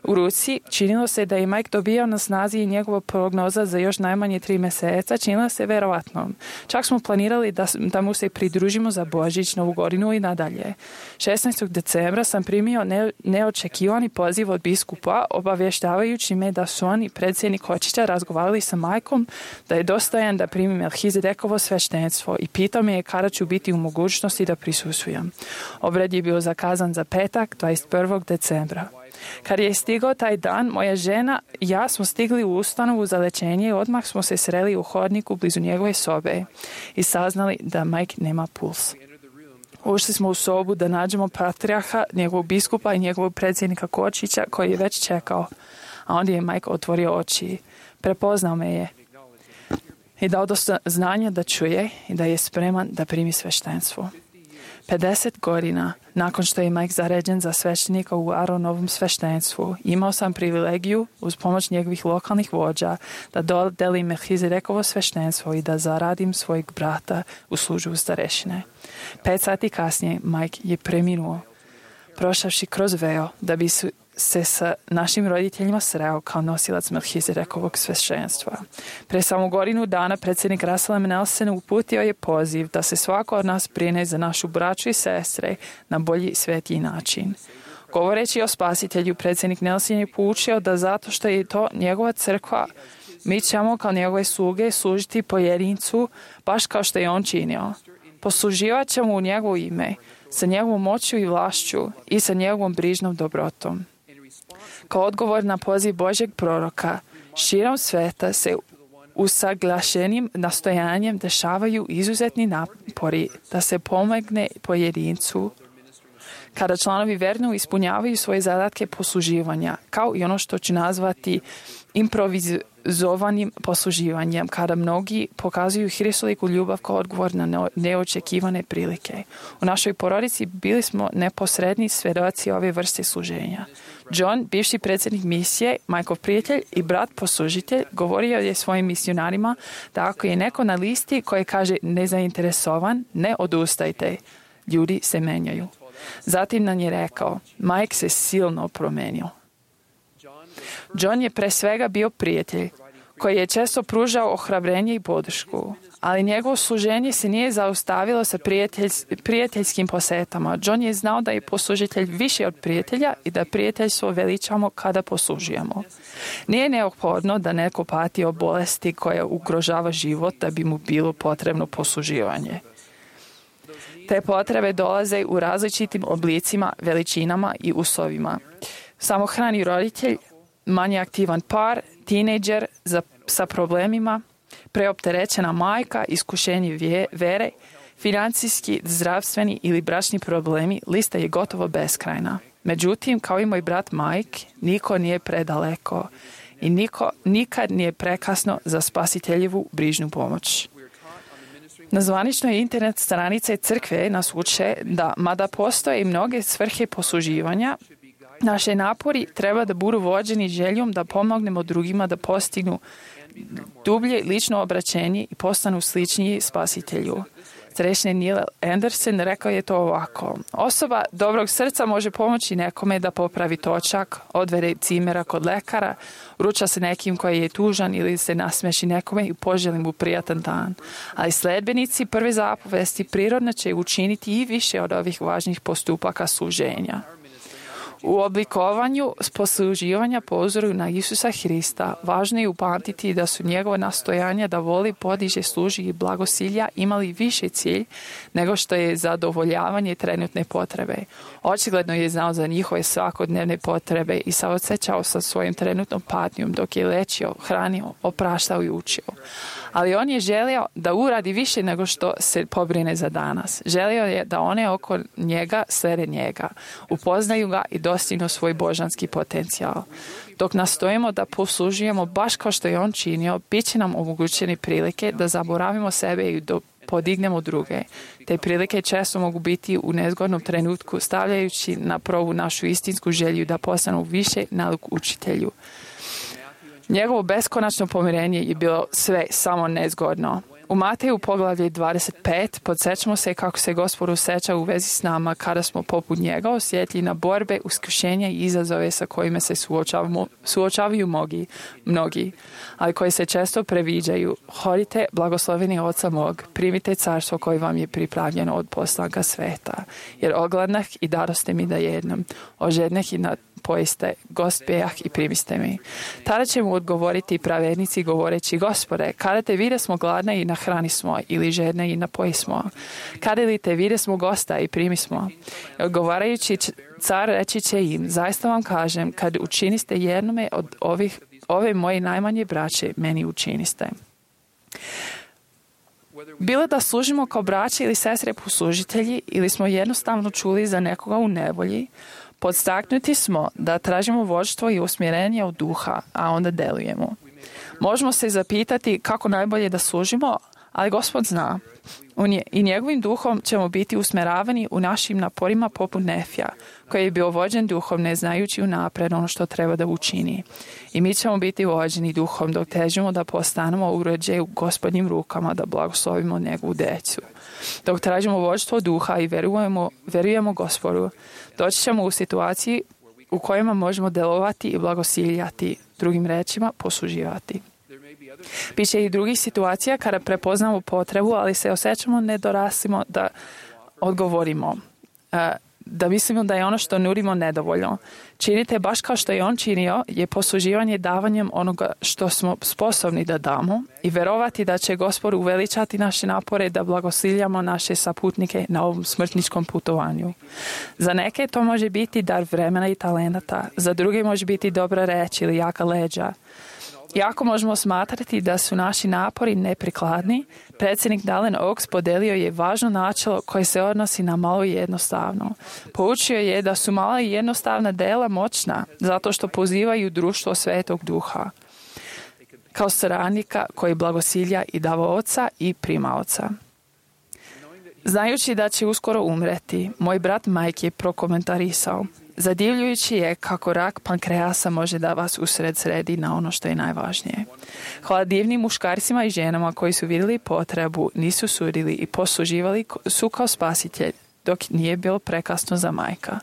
U ruci činilo se da je Mike dobijao na snazi i njegova prognoza za još najmanje tri mjeseca činila se verovatnom. Čak smo planirali da, da mu se pridružimo za Božić, Novu godinu i nadalje. šesnaestog decembra sam primio ne, neočekivani poziv od biskupa, obavještavajući me da su oni, predsjednik Hočića, razgovarali sa Mikeom da je dostojan da primi Melhizedekovo sveštenstvo i pitao me je kada ću biti u mogućnosti da prisustvujem. Obred je bio zakazan za petak, dvadeset prvog decembra. Kad je stigao taj dan, moja žena i ja smo stigli u ustanovu za lečenje i odmah smo se sreli u hodniku blizu njegove sobe i saznali da Mike nema puls. Ušli smo u sobu da nađemo patrijarha, njegovog biskupa i njegovog predsjednika Kočića koji je već čekao, a onda je Mike otvorio oči. Prepoznao me je i dao dosta znanja da čuje i da je spreman da primi sveštenstvo. pedeset godina nakon što je Mike zaređen za sveštenika u Aronovom sveštenstvu, imao sam privilegiju, uz pomoć njegovih lokalnih vođa, da dodelim Melhizedekovo sveštenstvo i da zaradim svojeg brata u službu starešine. Pet sati kasnije Mike je preminuo, prošavši kroz veo da bi su se sa našim roditeljima sreo kao nosilac Melhizedekovog sveštenstva. Pre samo godinu dana predsjednik Russell M. Nelson uputio je poziv da se svako od nas brine za našu braću i sestre na bolji i svetiji način. Govoreći o spasitelju, predsjednik Nelson je poučio da zato što je to njegova crkva, mi ćemo kao njegove sluge služiti pojedincu baš kao što je on činio. Posluživat ćemo u njegovo ime, sa njegovom moću i vlašću i sa njegovom brižnom dobrotom. Kao odgovor na poziv Božjeg proroka, širom sveta se usaglašenim nastojanjem dešavaju izuzetni napori da se pomogne pojedincu kada članovi verno ispunjavaju svoje zadatke posluživanja, kao i ono što ću nazvati improviz, organizovanim posluživanjem, kada mnogi pokazuju hristoliku ljubav kao odgovor na neočekivane prilike. U našoj porodici bili smo neposredni svedoci ove vrste služenja. John, bivši predsjednik misije, Majkov prijatelj i brat poslužitelj, govorio je svojim misionarima da ako je neko na listi koji kaže nezainteresovan, ne odustajte. Ljudi se menjaju. Zatim nam je rekao, Mike se silno promenio. John je pre svega bio prijatelj, koji je često pružao ohrabrenje i podršku, ali njegovo služenje se nije zaustavilo sa prijatelj, prijateljskim posetama. John je znao da je poslužitelj više od prijatelja i da prijateljstvo veličamo kada poslužujemo. Nije neophodno da neko pati od bolesti koja ugrožava život da bi mu bilo potrebno posluživanje. Te potrebe dolaze u različitim oblicima, veličinama i uslovima. Samohrani roditelj, manje aktivan par, tinejdžer za, sa problemima, preopterećena majka, iskušenje vje, vere, financijski, zdravstveni ili bračni problemi, lista je gotovo beskrajna. Međutim, kao i moj brat Mike, niko nije predaleko i niko nikad nije prekasno za spasiteljevu brižnu pomoć. Na zvaničnoj internet stranice crkve nas uče da, mada postoje i mnoge svrhe posluživanja, naše napori treba da budu vođeni željom da pomognemo drugima da postignu dublje lično obraćenje i postanu sličniji spasitelju. Srećni Neil Anderson rekao je to ovako. Osoba dobrog srca može pomoći nekome da popravi točak, odvede cimera kod lekara, ruča se nekim koji je tužan ili se nasmeši nekome i poželi mu prijatan dan. Ali sledbenici prve zapovesti prirodno će učiniti i više od ovih važnih postupaka služenja. U oblikovanju posluživanja po uzoru na Isusa Hrista važno je upamtiti da su njegove nastojanja da voli, podiže, služi i blagosilja imali više cilj nego što je zadovoljavanje trenutne potrebe. Očigledno je znao za njihove svakodnevne potrebe i saosećao sa svojim trenutnom patnjom dok je lečio, hranio, opraštao i učio. Ali on je želio da uradi više nego što se pobrine za danas. Želio je da one oko njega slede njega, upoznaju ga i dostignu svoj božanski potencijal. Dok nastojimo da poslužujemo baš kao što je on činio, bit će nam omogućeni prilike da zaboravimo sebe i do podignemo druge. Te prilike često mogu biti u nezgodnom trenutku, stavljajući na probu našu istinsku želju da postanu više nalik učitelju. Njegovo beskonačno pomirenje je bilo sve samo nezgodno. U Mateju poglavlje dvadeset pet podsjećamo se kako se Gospod osjeća u vezi s nama kada smo poput njega osjetljivi na borbe, iskušenja i izazove sa kojima se suočavaju mnogi, mnogi, ali koji se često previđaju. Hodite, blagosloveni Oca mog, primite carstvo koje vam je pripravljeno od poslanka sveta, jer ogladnah i daroste mi da jednom, ožednah i na pojeste, gost pejah i primiste mi. Tada će mu odgovoriti pravednici govoreći, Gospode, kada te vide smo gladne i nahrani smo, ili žedne i napoji smo. Kada li te vide smo gosta i primi smo. I odgovarajući car reći će im, zaista vam kažem, kad učiniste jednome od ovih, ove moje najmanje braće, meni učiniste. Bilo da služimo kao braće ili sestre poslužitelji, ili smo jednostavno čuli za nekoga u nevolji, podstaknuti smo da tražimo vođstvo i usmjerenje od duha, a onda delujemo. Možemo se zapitati kako najbolje da služimo, ali Gospod zna. I njegovim duhom ćemo biti usmjeravani u našim naporima poput Nefija, koji je bio vođen duhom ne znajući unapred ono što treba da učini. I mi ćemo biti vođeni duhom dok težimo da postanemo uređaj u Gospodnjim rukama da blagoslovimo njegovu decu. Dok tražimo vođstvo duha i verujemo, verujemo Gospodu, doći ćemo u situaciji u kojima možemo delovati i blagosiljati, drugim rečima posluživati. Biće i drugih situacija kada prepoznamo potrebu, ali se osjećamo nedoraslimo da odgovorimo. Da mislimo da je ono što nudimo nedovoljno. Činite baš kao što je on činio, je posluživanje davanjem onoga što smo sposobni da damo i verovati da će Gospod uveličati naše napore da blagosiljamo naše saputnike na ovom smrtničkom putovanju. Za neke to može biti dar vremena i talenata, za druge može biti dobra reč ili jaka leđa. Iako možemo smatrati da su naši napori neprikladni, predsjednik Dallin Oaks podelio je važno načelo koje se odnosi na malo i jednostavno. Poučio je da su mala i jednostavna dela moćna zato što pozivaju društvo Svetog Duha. kao stradnika koji blagosilja i davaoca i primaoca. Znajući da će uskoro umreti, moj brat Mike je prokomentarisao: zadivljujući je kako rak pankreasa može da vas usred sredi na ono što je najvažnije. Hvala divnim muškarcima i ženama koji su vidjeli potrebu, nisu sudili i posluživali su kao spasitelj, dok nije bilo prekasno za Majka.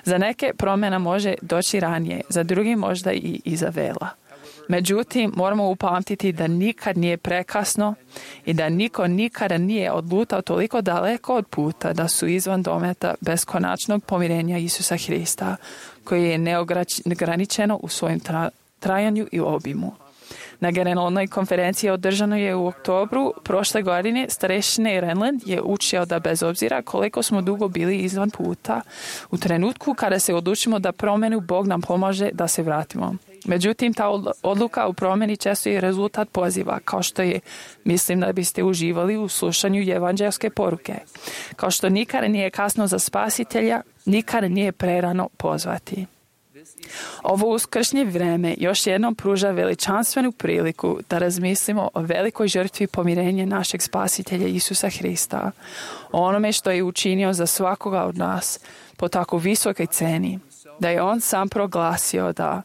Za neke promjena može doći ranije, za drugi možda i iza vela. Međutim, moramo upamtiti da nikad nije prekasno i da niko nikada nije odlutao toliko daleko od puta da su izvan dometa beskonačnog pomirenja Isusa Hrista, koji je neograničeno u svojem tra- trajanju i obimu. Na generalnoj konferenciji održanoj je u oktobru prošle godine starešine Renland je učio da bez obzira koliko smo dugo bili izvan puta, u trenutku kada se odlučimo da promenu, Bog nam pomaže da se vratimo. Međutim, ta odluka u promjeni često je rezultat poziva, kao što je: mislim da biste uživali u slušanju evanđelske poruke. Kao što nikada nije kasno za spasitelja, nikada nije prerano pozvati. Ovo uskršnje vreme još jednom pruža veličanstvenu priliku da razmislimo o velikoj žrtvi pomirenja našeg spasitelja Isusa Hrista, o onome što je učinio za svakoga od nas po tako visokoj ceni, da je on sam proglasio da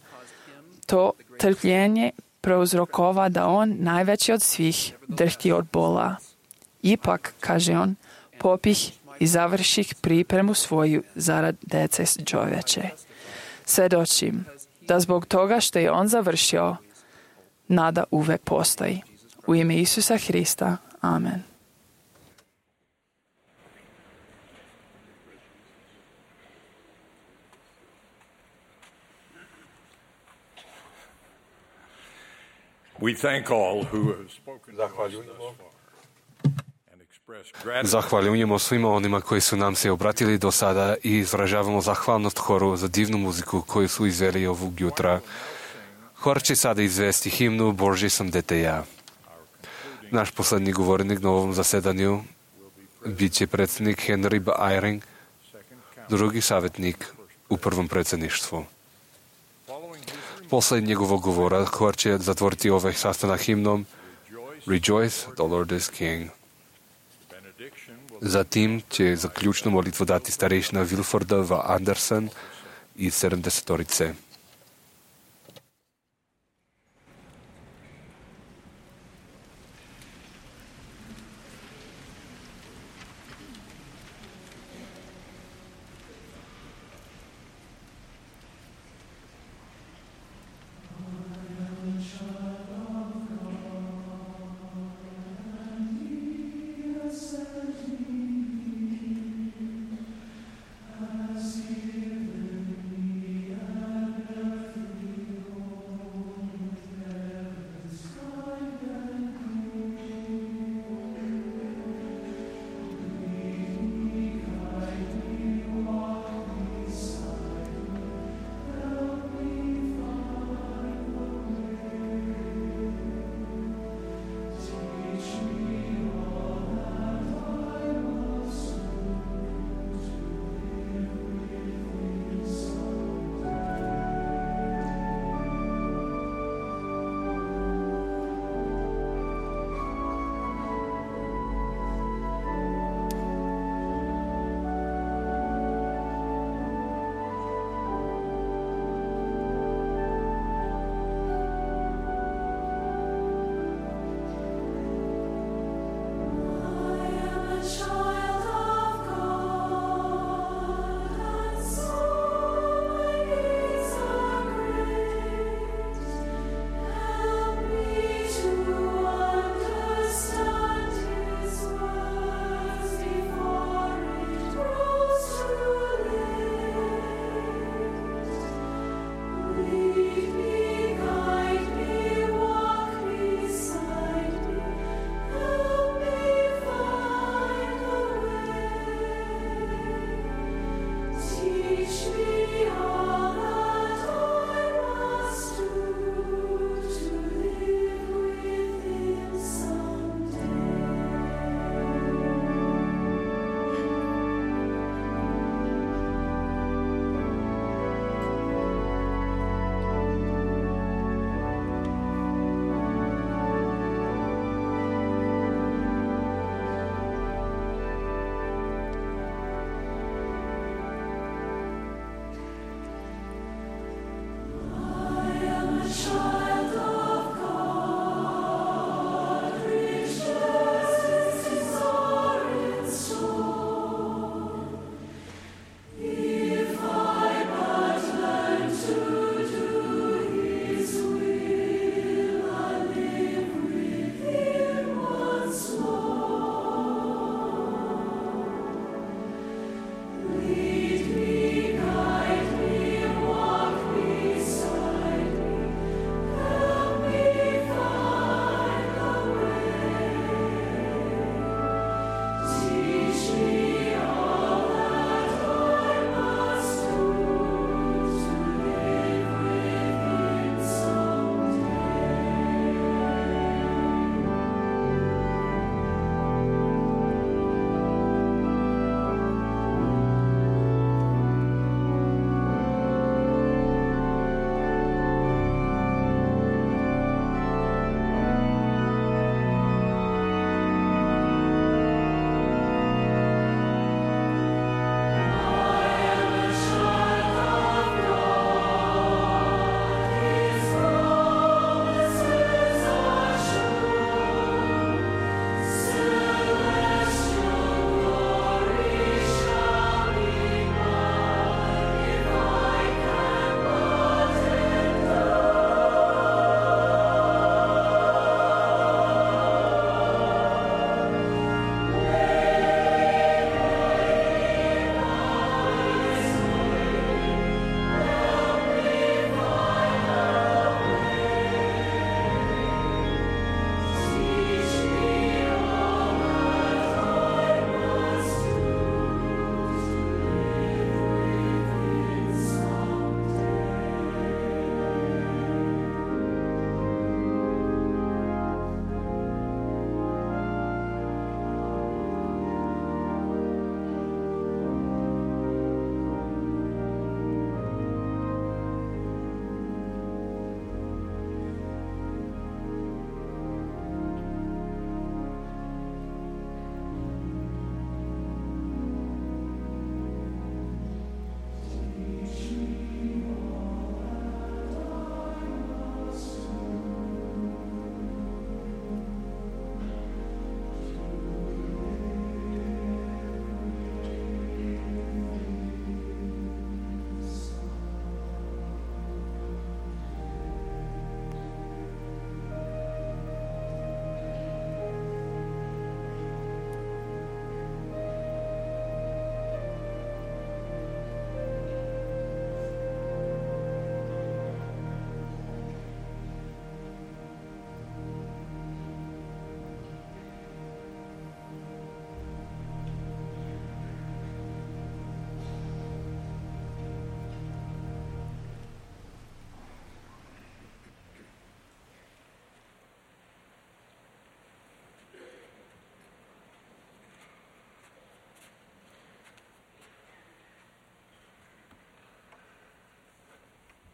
to trpljenje prouzrokova da on, najveći od svih, drhti od bola. Ipak, kaže on, popih i završih pripremu svoju zarad dece čovječe. Svedočim da zbog toga što je on završio, nada uvek postoji. U ime Isusa Hrista. Amen. We thank all who have spoken to us thus far and express gratitude. Zahvaljujemo svima onima koji su nam se obratili do sada i izražavamo zahvalnost horu za divnu muziku koju su izveli ovog jutra. Hor će sada izvesti himnu Božji sam dete ja. Naš poslednji govornik na ovom zasedanju bit će predsjednik Henry B. Eyring, drugi savjetnik u prvom predsjedništvu. Posle njegovog govora hor će zatvoriti ovaj sastanak himnom Rejoice, the Lord is King. Zatim će zaključnu molitvu dati starešina Wilforda V. Anderson iz sedamdesetorice.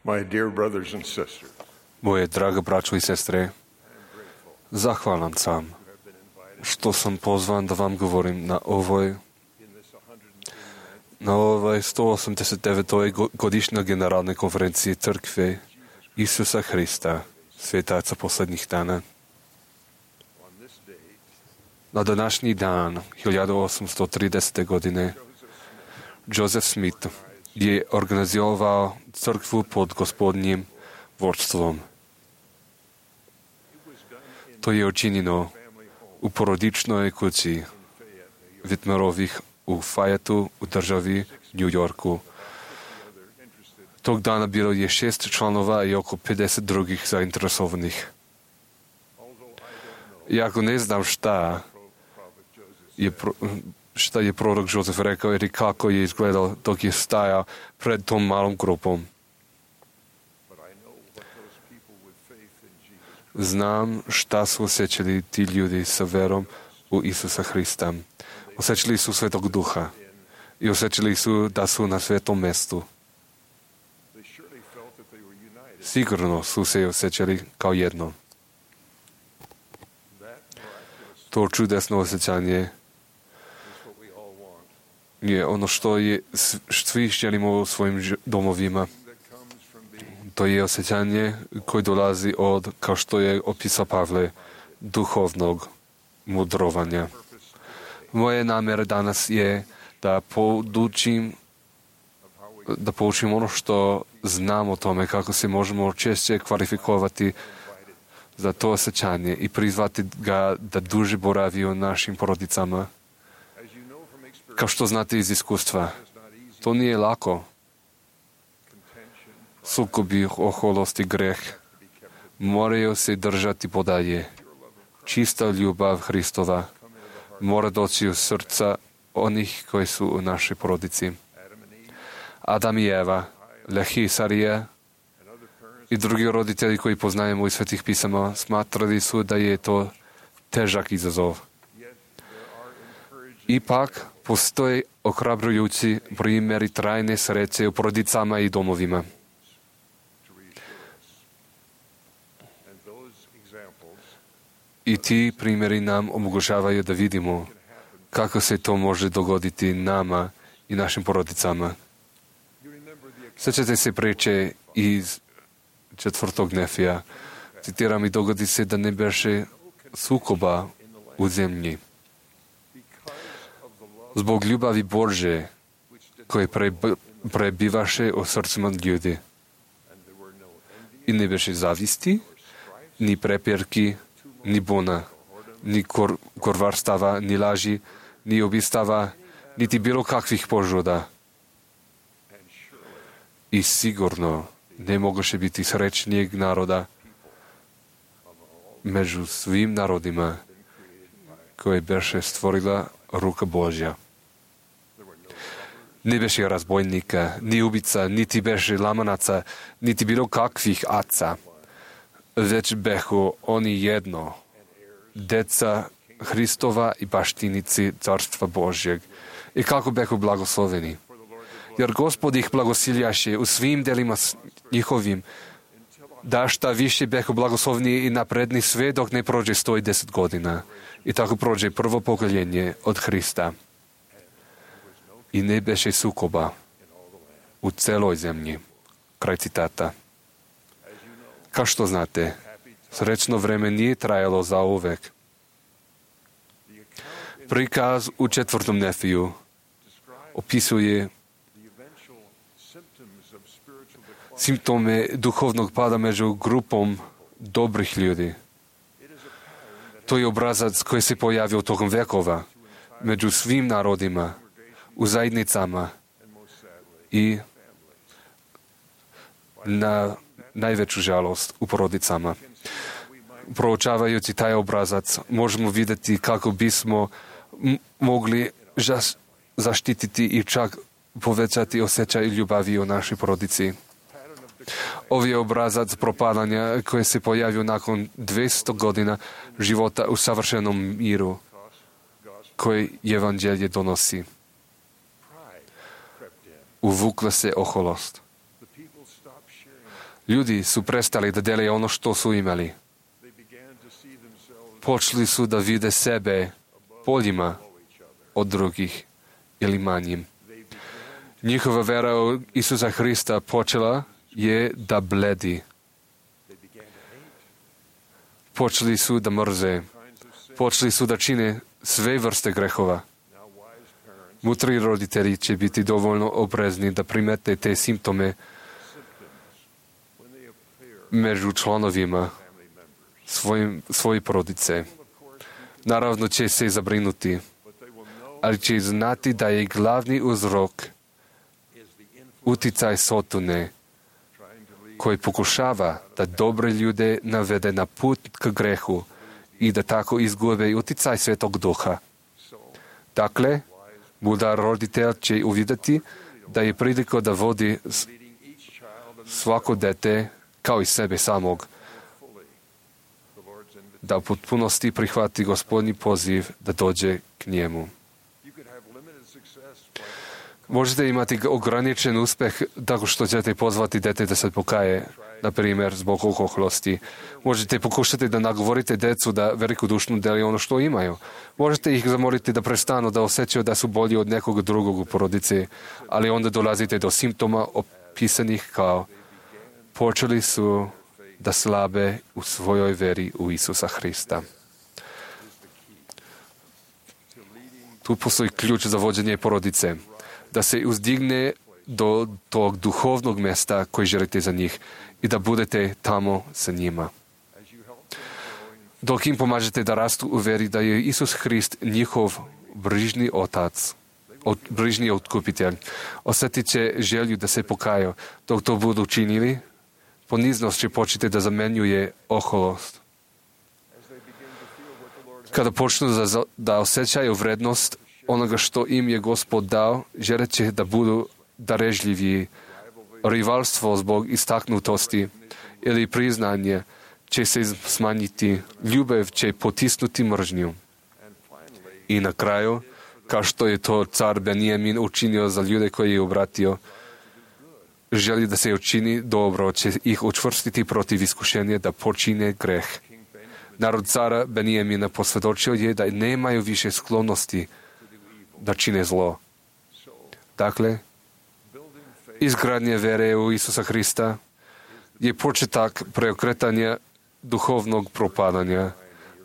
My dear brothers and sisters, Moje drage braćo i sestre, zahvalan sam što sam pozvan da vam govorim na ovoj na ovoj sto osamdeset devetoj godišnjoj generalnoj konferenciji Crkve Isusa Hrista, svetaca posljednjih dana. Na današnji dan, hiljadu osamsto tridesete. godine, Joseph Smith je organizovao crkvu pod gospodnjim vodstvom. To je učinjeno u porodičnoj kući Whitmerovih u Fayetteu u državi New Yorku. Tog dana bilo je šest članova i oko pedeset drugih zainteresovanih. Iako ne znam šta je, pro, šta je prorok Joseph rekao ili kako je izgledao dok je stajao pred tom malom grupom. Znam šta su osjećali ti ljudi sa verom u Isusa Hrista. Osjećali su Svetog Duha i osjećali su da su na svetom mjestu. Sigurno su se osjećali kao jedno. To čudesno osjećanje je ono što je svi želimo u svojim domovima. To je osjećanje koje dolazi od, kao što je opisao Pavle, duhovnog mudrovanja. Moje namjera danas je da podučim, da poučim ono što znam o tome, kako se možemo češće kvalifikovati za to osjećanje i prizvati ga da duže boravi u našim porodicama. Kao što znate iz iskustva, to nije lako. Sukobi, oholost i greh moraju se držati podalje. Čista ljubav Hristova mora doći u srca onih koji su u našoj porodici. Adam i Eva, Lehi i Sarija i drugi roditelji koji poznajemo iz Svetih pisama smatrali su da je to težak izazov. Ipak postoje ohrabrujući primjeri trajne sreće u porodicama i domovima. I ti primjeri nam omogućavaju da vidimo kako se to može dogoditi nama i našim porodicama. Sjećate se priče iz četvrtog Nefija. Citiram, i dogodi se da ne beše sukoba u zemlji. Zbog ljubavi Božje koje prebivaše u srcima ljudi. I ne beše zavisti, ni prepirki, ni bona, ni kor, korvarstava, ni laži, ni obistava, niti bilo kakvih požuda. I sigurno ne mogoše biti srećnijeg naroda među svim narodima koje beše stvorila ruka Božja. Ne beše razbojnika, ni ubica, niti beše lamanaca, niti bilo kakvih aca, već behu oni jedno, deca Hristova i baštinici Carstva Božjeg. I kako behu blagosloveni. Jer Gospod ih blagosiljaše u svim delima njihovim, da šta više behu blagoslovni i napredni sve dok ne prođe sto i deset godina. I tako prođe prvo pokoljenje od Hrista. I ne beše sukoba u celoj zemlji. Kraj citata. Kao što znate, srećno vreme nije trajalo za uvek. Prikaz u četvrtom Nefiju opisuje simptome duhovnog pada među grupom dobrih ljudi. To je obrazac koji se pojavio tokom vekova među svim narodima, u zajednicama i na najveću žalost u porodicama. Proučavajući taj obrazac možemo vidjeti kako bismo m- mogli žas- zaštititi i čak povećati osjećaj ljubavi u našoj porodici. Ovi je obrazac propadanja koji se pojavio nakon dvjesto godina života u savršenom miru koji evanđelje donosi. Uvukla se oholost. Ljudi su prestali da dele ono što su imali. Počeli su da vide sebe boljima od drugih ili manjim. Njihova vera u Isusa Hrista počela je da bledi. Počeli su da mrze. Počeli su da čine sve vrste grehova. Mudri roditelji će biti dovoljno oprezni da primete te simptome među članovima svojim, svoje porodice. Naravno će se zabrinuti, ali će znati da je glavni uzrok uticaj Sotone, koji pokušava da dobre ljude navede na put k grehu i da tako izgube uticaj Svetog Duha. Dakle, mudar roditelj će uvidjeti da je prilika da vodi svako dete kao i sebe samog, da u potpunosti prihvati Gospodnji poziv da dođe k njemu. Možete imati ograničen uspeh tako što ćete pozvati dete da se pokaje, na primjer, zbog oholosti. Možete pokušati da nagovorite decu da velikodušno deli ono što imaju. Možete ih zamoliti da prestanu da osjećaju da su bolji od nekog drugog u porodici, ali onda dolazite do simptoma opisanih kao počeli su da slabe u svojoj veri u Isusa Hrista. Tu postoji ključ za vođenje porodice. Da se uzdigne do tog duhovnog mjesta koji želite za njih i da budete tamo sa njima. Dok im pomažete da rastu u veri da je Isus Hrist njihov brižni otac, od, brižni otkupitelj, osjetit će želju da se pokaju. Dok to budu činili, poniznost će početi da zamenjuje oholost. Kada počnu da, da osjećaju vrednost onoga što im je Gospod dao, želit će da budu darežljiviji. Rivalstvo zbog istaknutosti ili priznanje će se smanjiti, ljubav će potisnuti mržnju. I na kraju, kao što je to car Benjamin učinio za ljude koji je obratio, želi da se učini dobro, će ih učvrstiti protiv iskušenja da počine greh. Narod cara Benjamina posvjedočio je da nemaju više sklonosti da čine zlo. Dakle, izgradnje vere u Isusa Hrista je početak preokretanja duhovnog propadanja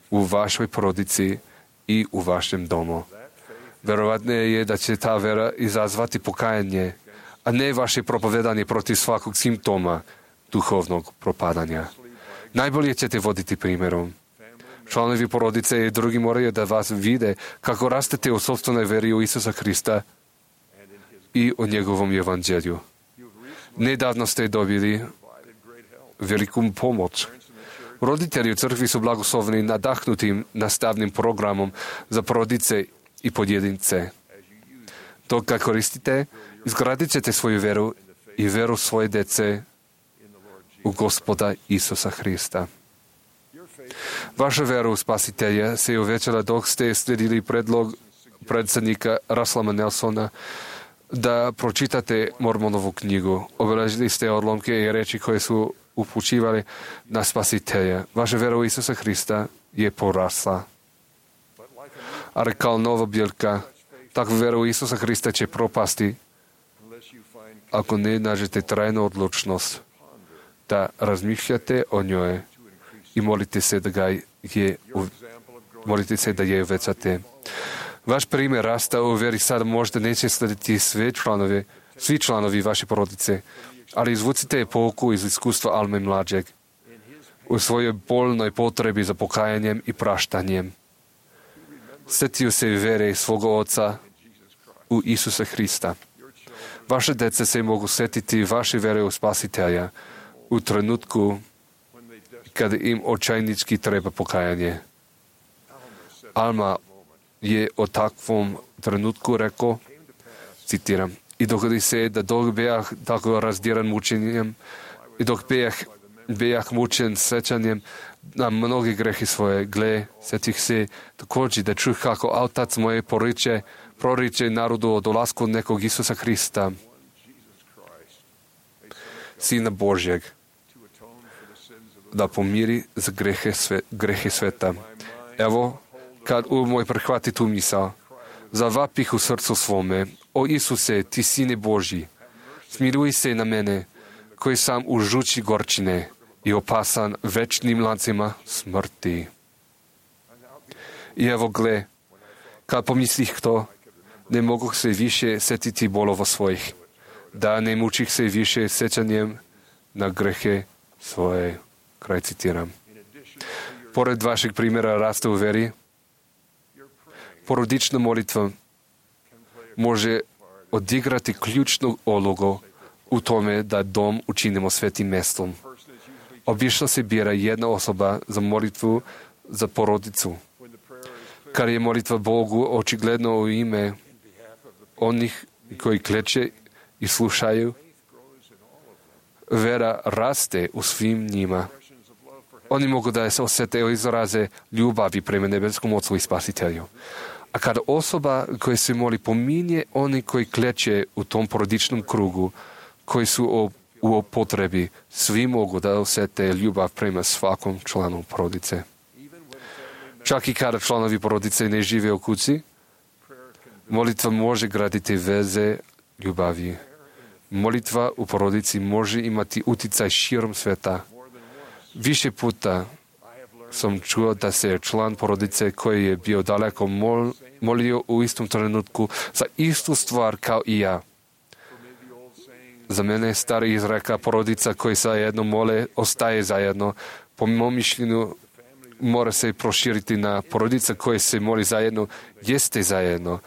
u vašoj porodici i u vašem domu. Verovatno je da će ta vera izazvati pokajanje, a ne vaše propovedanje protiv svakog simptoma duhovnog propadanja. Najbolje ćete voditi primjerom. Članovi porodice i drugi moraju da vas vide kako rastete u sopstvenoj veri u Isusa Hrista i o njegovom evanđelju. Nedavno ste dobili veliku pomoć. Roditelji u crkvi su blagosloveni nadahnutim nastavnim programom za porodice i pojedince. Dok ga koristite, izgradit ćete svoju veru i veru svoje dece u Gospoda Isusa Hrista. Vaša vera u Spasitelja se je uvećala dok ste slijedili predlog predsjednika Russella Nelsona da pročitate Mormonovu knjigu. Obeležili ste odlomke i reči koje su upućivali na Spasitelja. Vaša vera u Isusa Hrista je porasla. Ali kao nova biljka, takva vera u Isusa Hrista će propasti ako ne nađete trajnu odlučnost da razmišljate o njoj i molite se da ga je, molite se da je uvećate. Vaš primjer rasta u veri sada možda neće slediti sve članovi, svi članovi vaše porodice, ali izvucite pouku iz iskustva Alme mlađeg u svojoj bolnoj potrebi za pokajanjem i praštanjem. Sjetio se vere svoga oca u Isusa Hrista. Vaše dece se mogu sjetiti vaše vere u Spasitelja u trenutku kada im očajnički treba pokajanje. Alma je o takvom trenutku rekao, citiram, i dogodi se da dok bejah tako razdiran mučenjem i dok bejah, bejah mučen sećanjem na mnogi grehi svoje, gle, setih se također da čuh kako otac moje poriče, proriče narodu o dolasku nekog Isusa Hrista, Sina Božjeg, da pomiri za grehe, sve, grehe sveta. Evo, kad u moj prihvati tu misao, zavapih u srcu svome, o Isuse, ti sine Božji, smiluj se na mene, koji sam u žuči gorčine i opasan večnim lancima smrti. I evo gle, kad pomislih to, ne mogu se više setiti bolova svojih, da ne mučih se više sećanjem na grehe svoje. Kraj citiram. Pored vašeg primjera rasta u veri, porodična molitva može odigrati ključnu ulogu u tome da dom učinimo svetim mestom. Obično se bira jedna osoba za molitvu za porodicu. Kad je molitva Bogu očigledno u ime onih koji kleče i slušaju, vera raste u svim njima. Oni mogu da se osjete i izraze ljubavi prema nebeskom Ocu i Spasitelju. A kada osoba koja se moli pominje oni koji kleče u tom porodičnom krugu, koji su u potrebi, svi mogu da osjete ljubav prema svakom članu porodice. Čak i kada članovi porodice ne žive u kući, molitva može graditi veze ljubavi. Molitva u porodici može imati utjecaj širom sveta. Više puta sam čuo da se član porodice koji je bio daleko mol, molio u istom trenutku za istu stvar kao i ja. Za mene stari izreka porodica koji zajedno mole ostaje zajedno. Po mom mišljenju mora se proširiti na porodica koje se moli zajedno, jeste zajedno,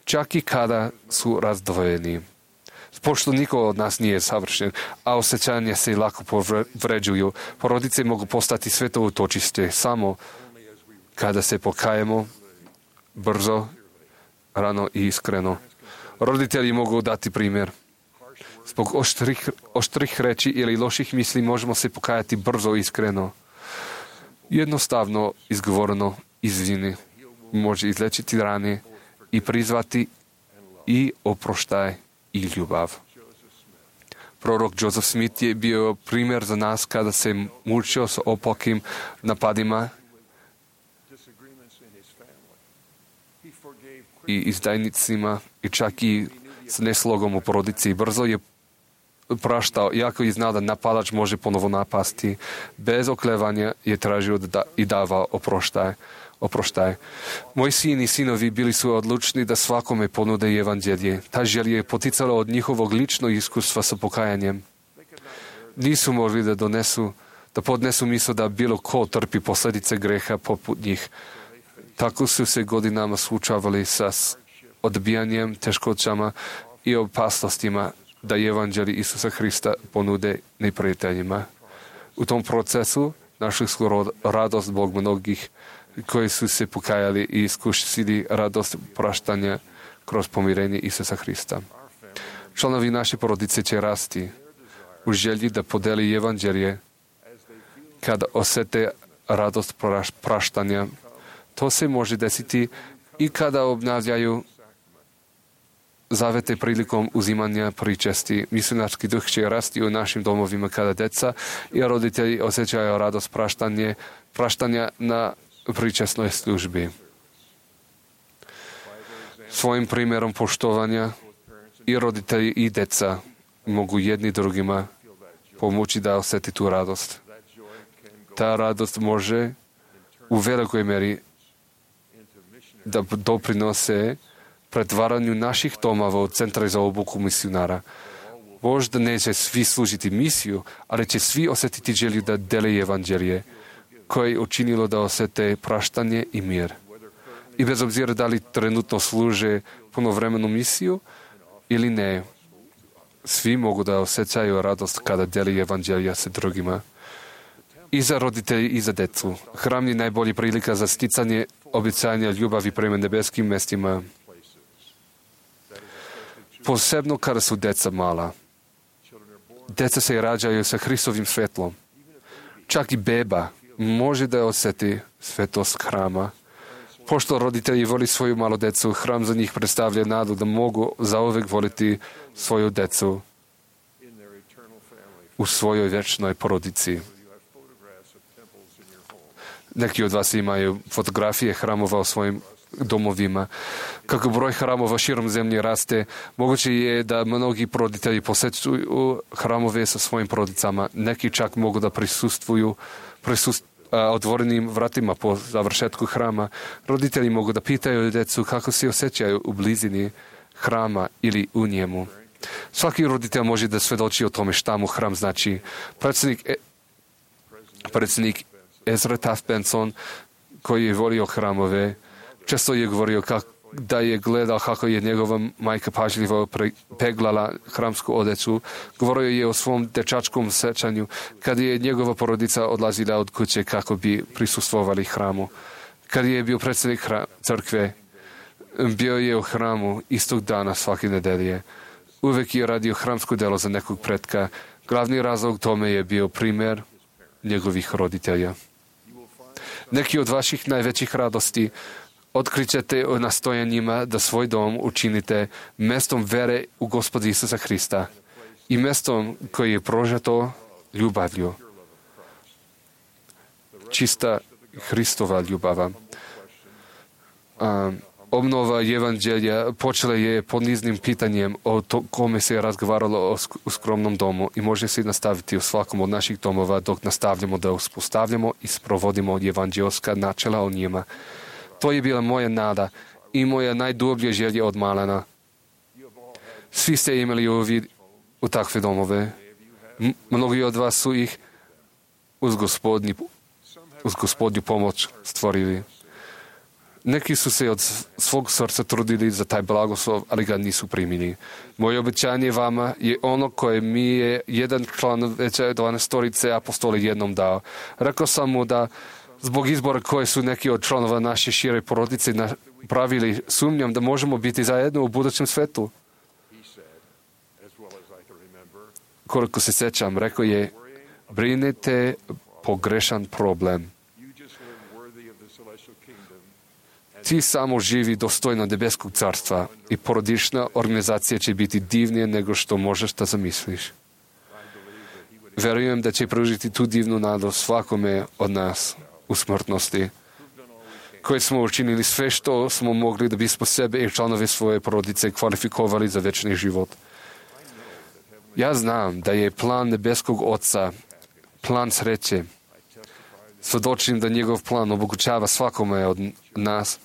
čak i kada su razdvojeni. Pošto niko od nas nije savršen, a osjećanja se lako povređuju, porodice mogu postati sveto utočište samo kada se pokajemo brzo, rano i iskreno. Roditelji mogu dati primjer. Zbog oštrih, oštrih reči ili loših misli možemo se pokajati brzo i iskreno. Jednostavno izgovoreno izvini može izlečiti rane i prizvati i oproštaj i ljubav. Prorok Joseph Smith je bio primjer za nas kada se mučio s opakim napadima i izdajnicima i čak i s neslogom u porodici. Brzo je praštao, iako je znao da napadač može ponovo napasti. Bez oklevanja je tražio da i davao oproštaj. oproštaj. Moji sin i sinovi bili su odlučni da svakome ponude evanđelje. Ta želja je poticala od njihovog ličnog iskustva sa pokajanjem. Nisu mogli da donesu, da podnesu misl da bilo ko trpi posljedice greha poput njih. Tako su se godinama suočavali sa odbijanjem, teškoćama i opasnostima da evanđelje Isusa Hrista ponude neprijateljima. U tom procesu našli su radost Bog mnogih koji su se pokajali i iskusili radost praštanja kroz pomirenje Isusa Hrista. Članovi naše porodice će rasti u želji da podeli evanđelje kada osjete radost praštanja. To se može desiti i kada obnavljaju zavete prilikom uzimanja pričesti. Misionarski duh će rasti u našim domovima kada deca i roditelji osjećaju radost praštanje, praštanja na pričesnoj službi. Svojim primjerom poštovanja i roditelji i deca mogu jedni drugima pomoći da osjeti tu radost. Ta radost može u velikoj meri da doprinose pretvaranju naših domova u centra za obuku misionara. Možda neće svi služiti misiju, ali će svi osjetiti želju da dele evanđelje, koje je učinilo da osjete praštanje i mir. I bez obzira da li trenutno služe punovremenu misiju ili ne, svi mogu da osjećaju radost kada deli evanđelja sa drugima. I za roditelji i za decu. Hram je najbolji prilika za sticanje obećanja ljubavi prema nebeskim mestima. Posebno kada su deca mala. Deca se rađaju sa Hristovim svetlom. Čak i beba može da osjeti svetost hrama. Pošto roditelji voli svoju malu decu, hram za njih predstavlja nadu da mogu zauvek voliti svoju decu u svojoj večnoj porodici. Neki od vas imaju fotografije hramova u svojim domovima. Kako broj hramova širom zemlje raste, moguće je da mnogi roditelji posećuju hramove sa svojim porodicama. Neki čak mogu da prisustvuju prisust, a, otvorenim vratima po završetku hrama. Roditelji mogu da pitaju djecu kako se osjećaju u blizini hrama ili u njemu. Svaki roditelj može da svedoči o tome šta mu hram znači. Predsjednik, e, predsjednik Ezra Taft Benson, koji je volio hramove, često je govorio kak, da je gledao kako je njegova majka pažljivo peglala hramsku odeću. Govorio je o svom dečačkom sećanju kad je njegova porodica odlazila od kuće kako bi prisustvovali hramu. Kad je bio predsjednik hra, crkve, bio je u hramu istog dana svake nedelje. Uvek je radio hramsko delo za nekog pretka. Glavni razlog tome je bio primjer njegovih roditelja. Neki od vaših najvećih radosti otkrićete o nastojanjima da svoj dom učinite mestom vere u Gospoda Isusa Hrista i mestom koji je prožeto ljubavlju. Čista Hristova ljubava. A, obnova evanđelja počela je poniznim pitanjem o to, kome se je razgovaralo o sk- u skromnom domu i može se nastaviti u svakom od naših domova dok nastavljamo da uspostavljamo i sprovodimo evanđelska načela o njima. To je bila moja nada i moja najdublja želja od malena. Svi ste imali uvid u takve domove. M- mnogi od vas su ih uz gospodnju, uz gospodnju pomoć stvorili. Neki su se od svog srca trudili za taj blagoslov, ali ga nisu primili. Moje obećanje vama je ono koje mi je jedan član veće dvanaestorice apostoli jednom dao. Rekao sam mu da zbog izbora koje su neki od članova naše šire porodice pravili, sumnjam da možemo biti zajedno u budućem svetu. Koliko se sećam, rekao je, brinete pogrešan problem. Ti samo živi dostojno nebeskog carstva i porodična organizacija će biti divnije nego što možeš da zamisliš. Verujem da će pružiti tu divnu nadu svakome od nas u smrtnosti, koje smo učinili sve što smo mogli da bismo sebe i članove svoje porodice kvalifikovali za večni život. Ja znam da je plan nebeskog Oca plan sreće. Svedočim da njegov plan omogućava svakome od nas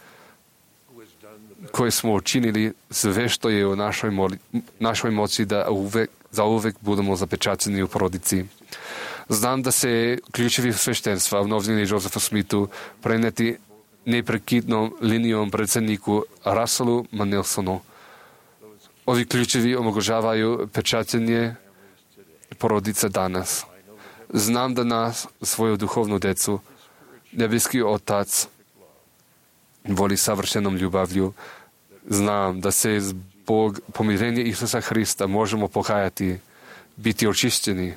koje smo učinili sve što je u našoj, moli, našoj moći da uvek, za uvek budemo zapečaćeni u porodici. Znam da se ključevi sveštenstva u novini Josefa Smithu preneti neprekidnom linijom predsjedniku Russellu Manelsonu. Ovi ključevi omogućavaju pečaćenje porodica danas. Znam da nas, svoju duhovnu decu, nebeski Otac voli savršenom ljubavlju. Znam da se zbog pomirenja Isusa Hrista možemo pokajati, biti očišćeni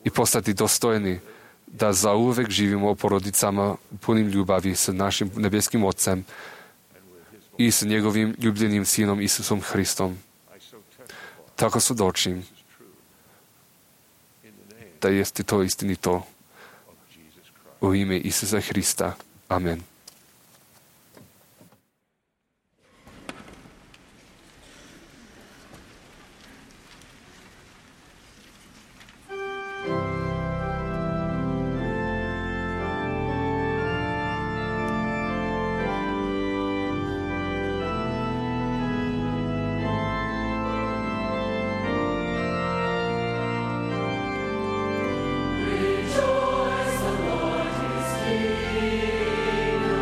i postati dostojni da zauvek živimo u porodicama punim ljubavi sa našim nebeskim Otcem i sa njegovim ljubljenim Sinom Isusom Hristom. Tako svedočim da jeste to istinito u ime Isusa Hrista. Amen. Rejoice, the Lord is King.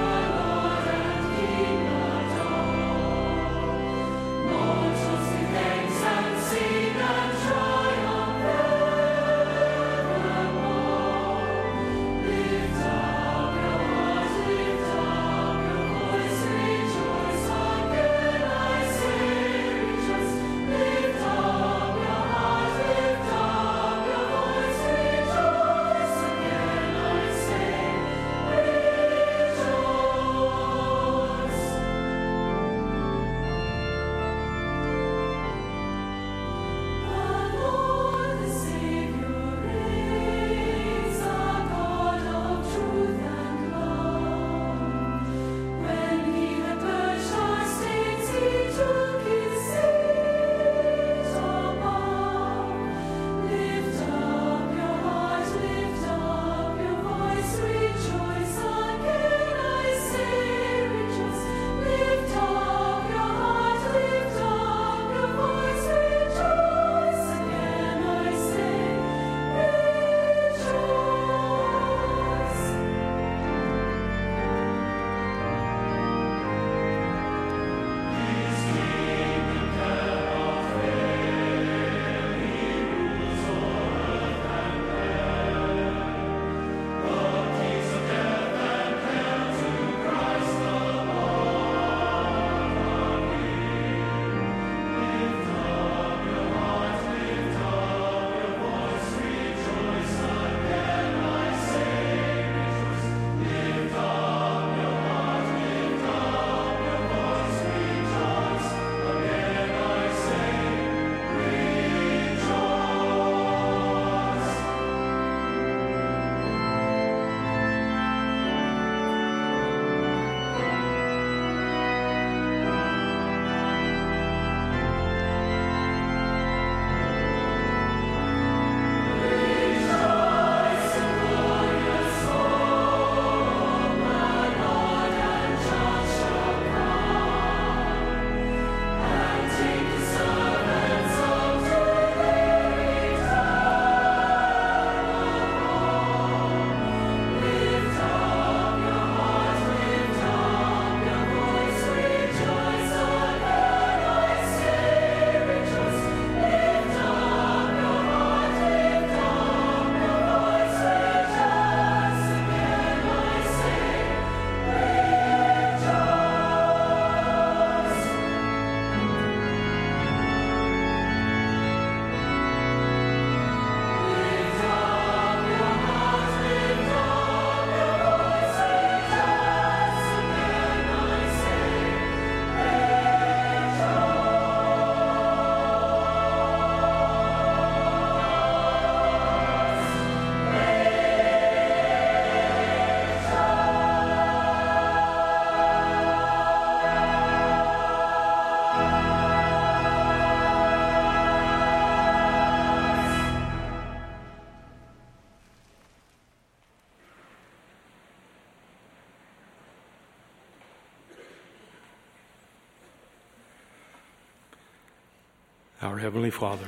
Our Heavenly Father,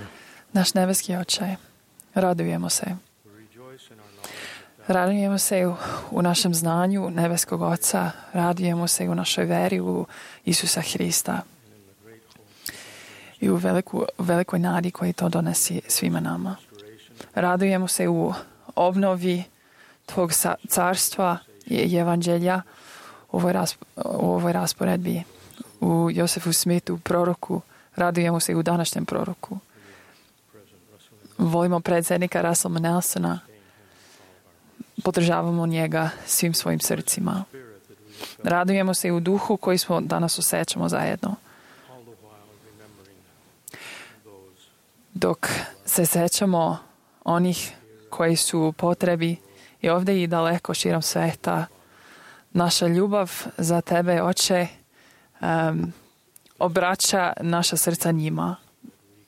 Naš nebeski Oče, radujemo se. Radujemo se u, u našem znanju nebeskog Oca, radujemo se u našoj veri u Isusa Hrista i u veliku, velikoj nadi koji to donosi svima nama. Radujemo se u obnovi Tvog carstva i evanđelja u ovoj, rasp, u ovoj rasporedbi, u Josefu Smithu, proroku. Radujemo se i u današnjem proroku. Volimo predsjednika Russella Nelsona. Podržavamo njega svim svojim srcima. Radujemo se i u duhu koji smo danas osjećamo zajedno. Dok se sećamo onih koji su u potrebi i ovdje i daleko širom sveta, naša ljubav za Tebe, Oče, um, obraća naša srca njima.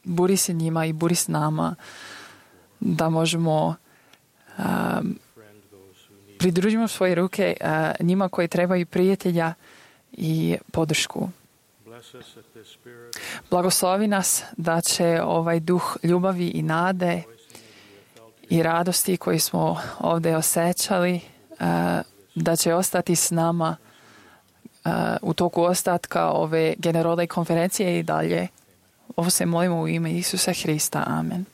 Buri se njima i buri s nama da možemo um, pridružimo svoje ruke uh, njima koji trebaju prijatelja i podršku. Blagoslovi nas da će ovaj duh ljubavi i nade i radosti koji smo ovdje osjećali, uh, da će ostati s nama uh, u toku ostatka ove generalne konferencije i dalje. Ovo se molimo u ime Isusa Hrista. Amen.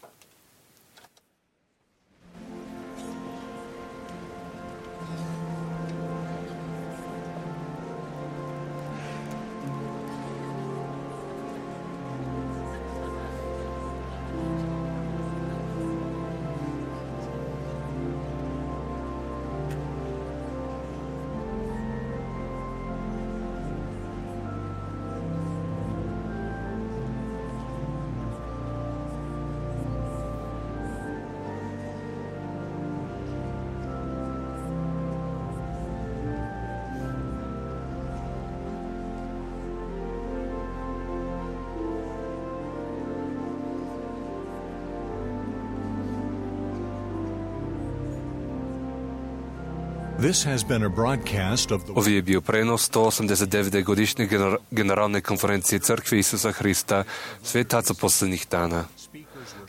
This has been a broadcast of the... Ovo je bio prenos sto osamdeset devete godišnje gener- generalne konferencije Crkve Isusa Hrista, svetaca posljednjih dana.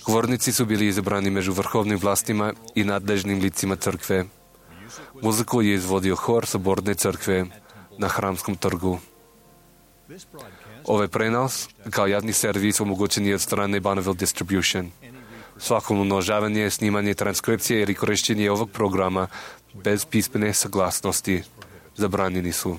Govornici su bili izabrani među vrhovnim vlastima i nadležnim licima crkve. Muziku je izvodio hor Soborne crkve na Hramskom trgu. Ovaj prenos, kao javni servis, omogućen je od strane Bonneville Distribution. Svako umnožavanje, snimanje, transkripcije ili korištenje ovog programa bez pismene saglasnosti zabranjeni su.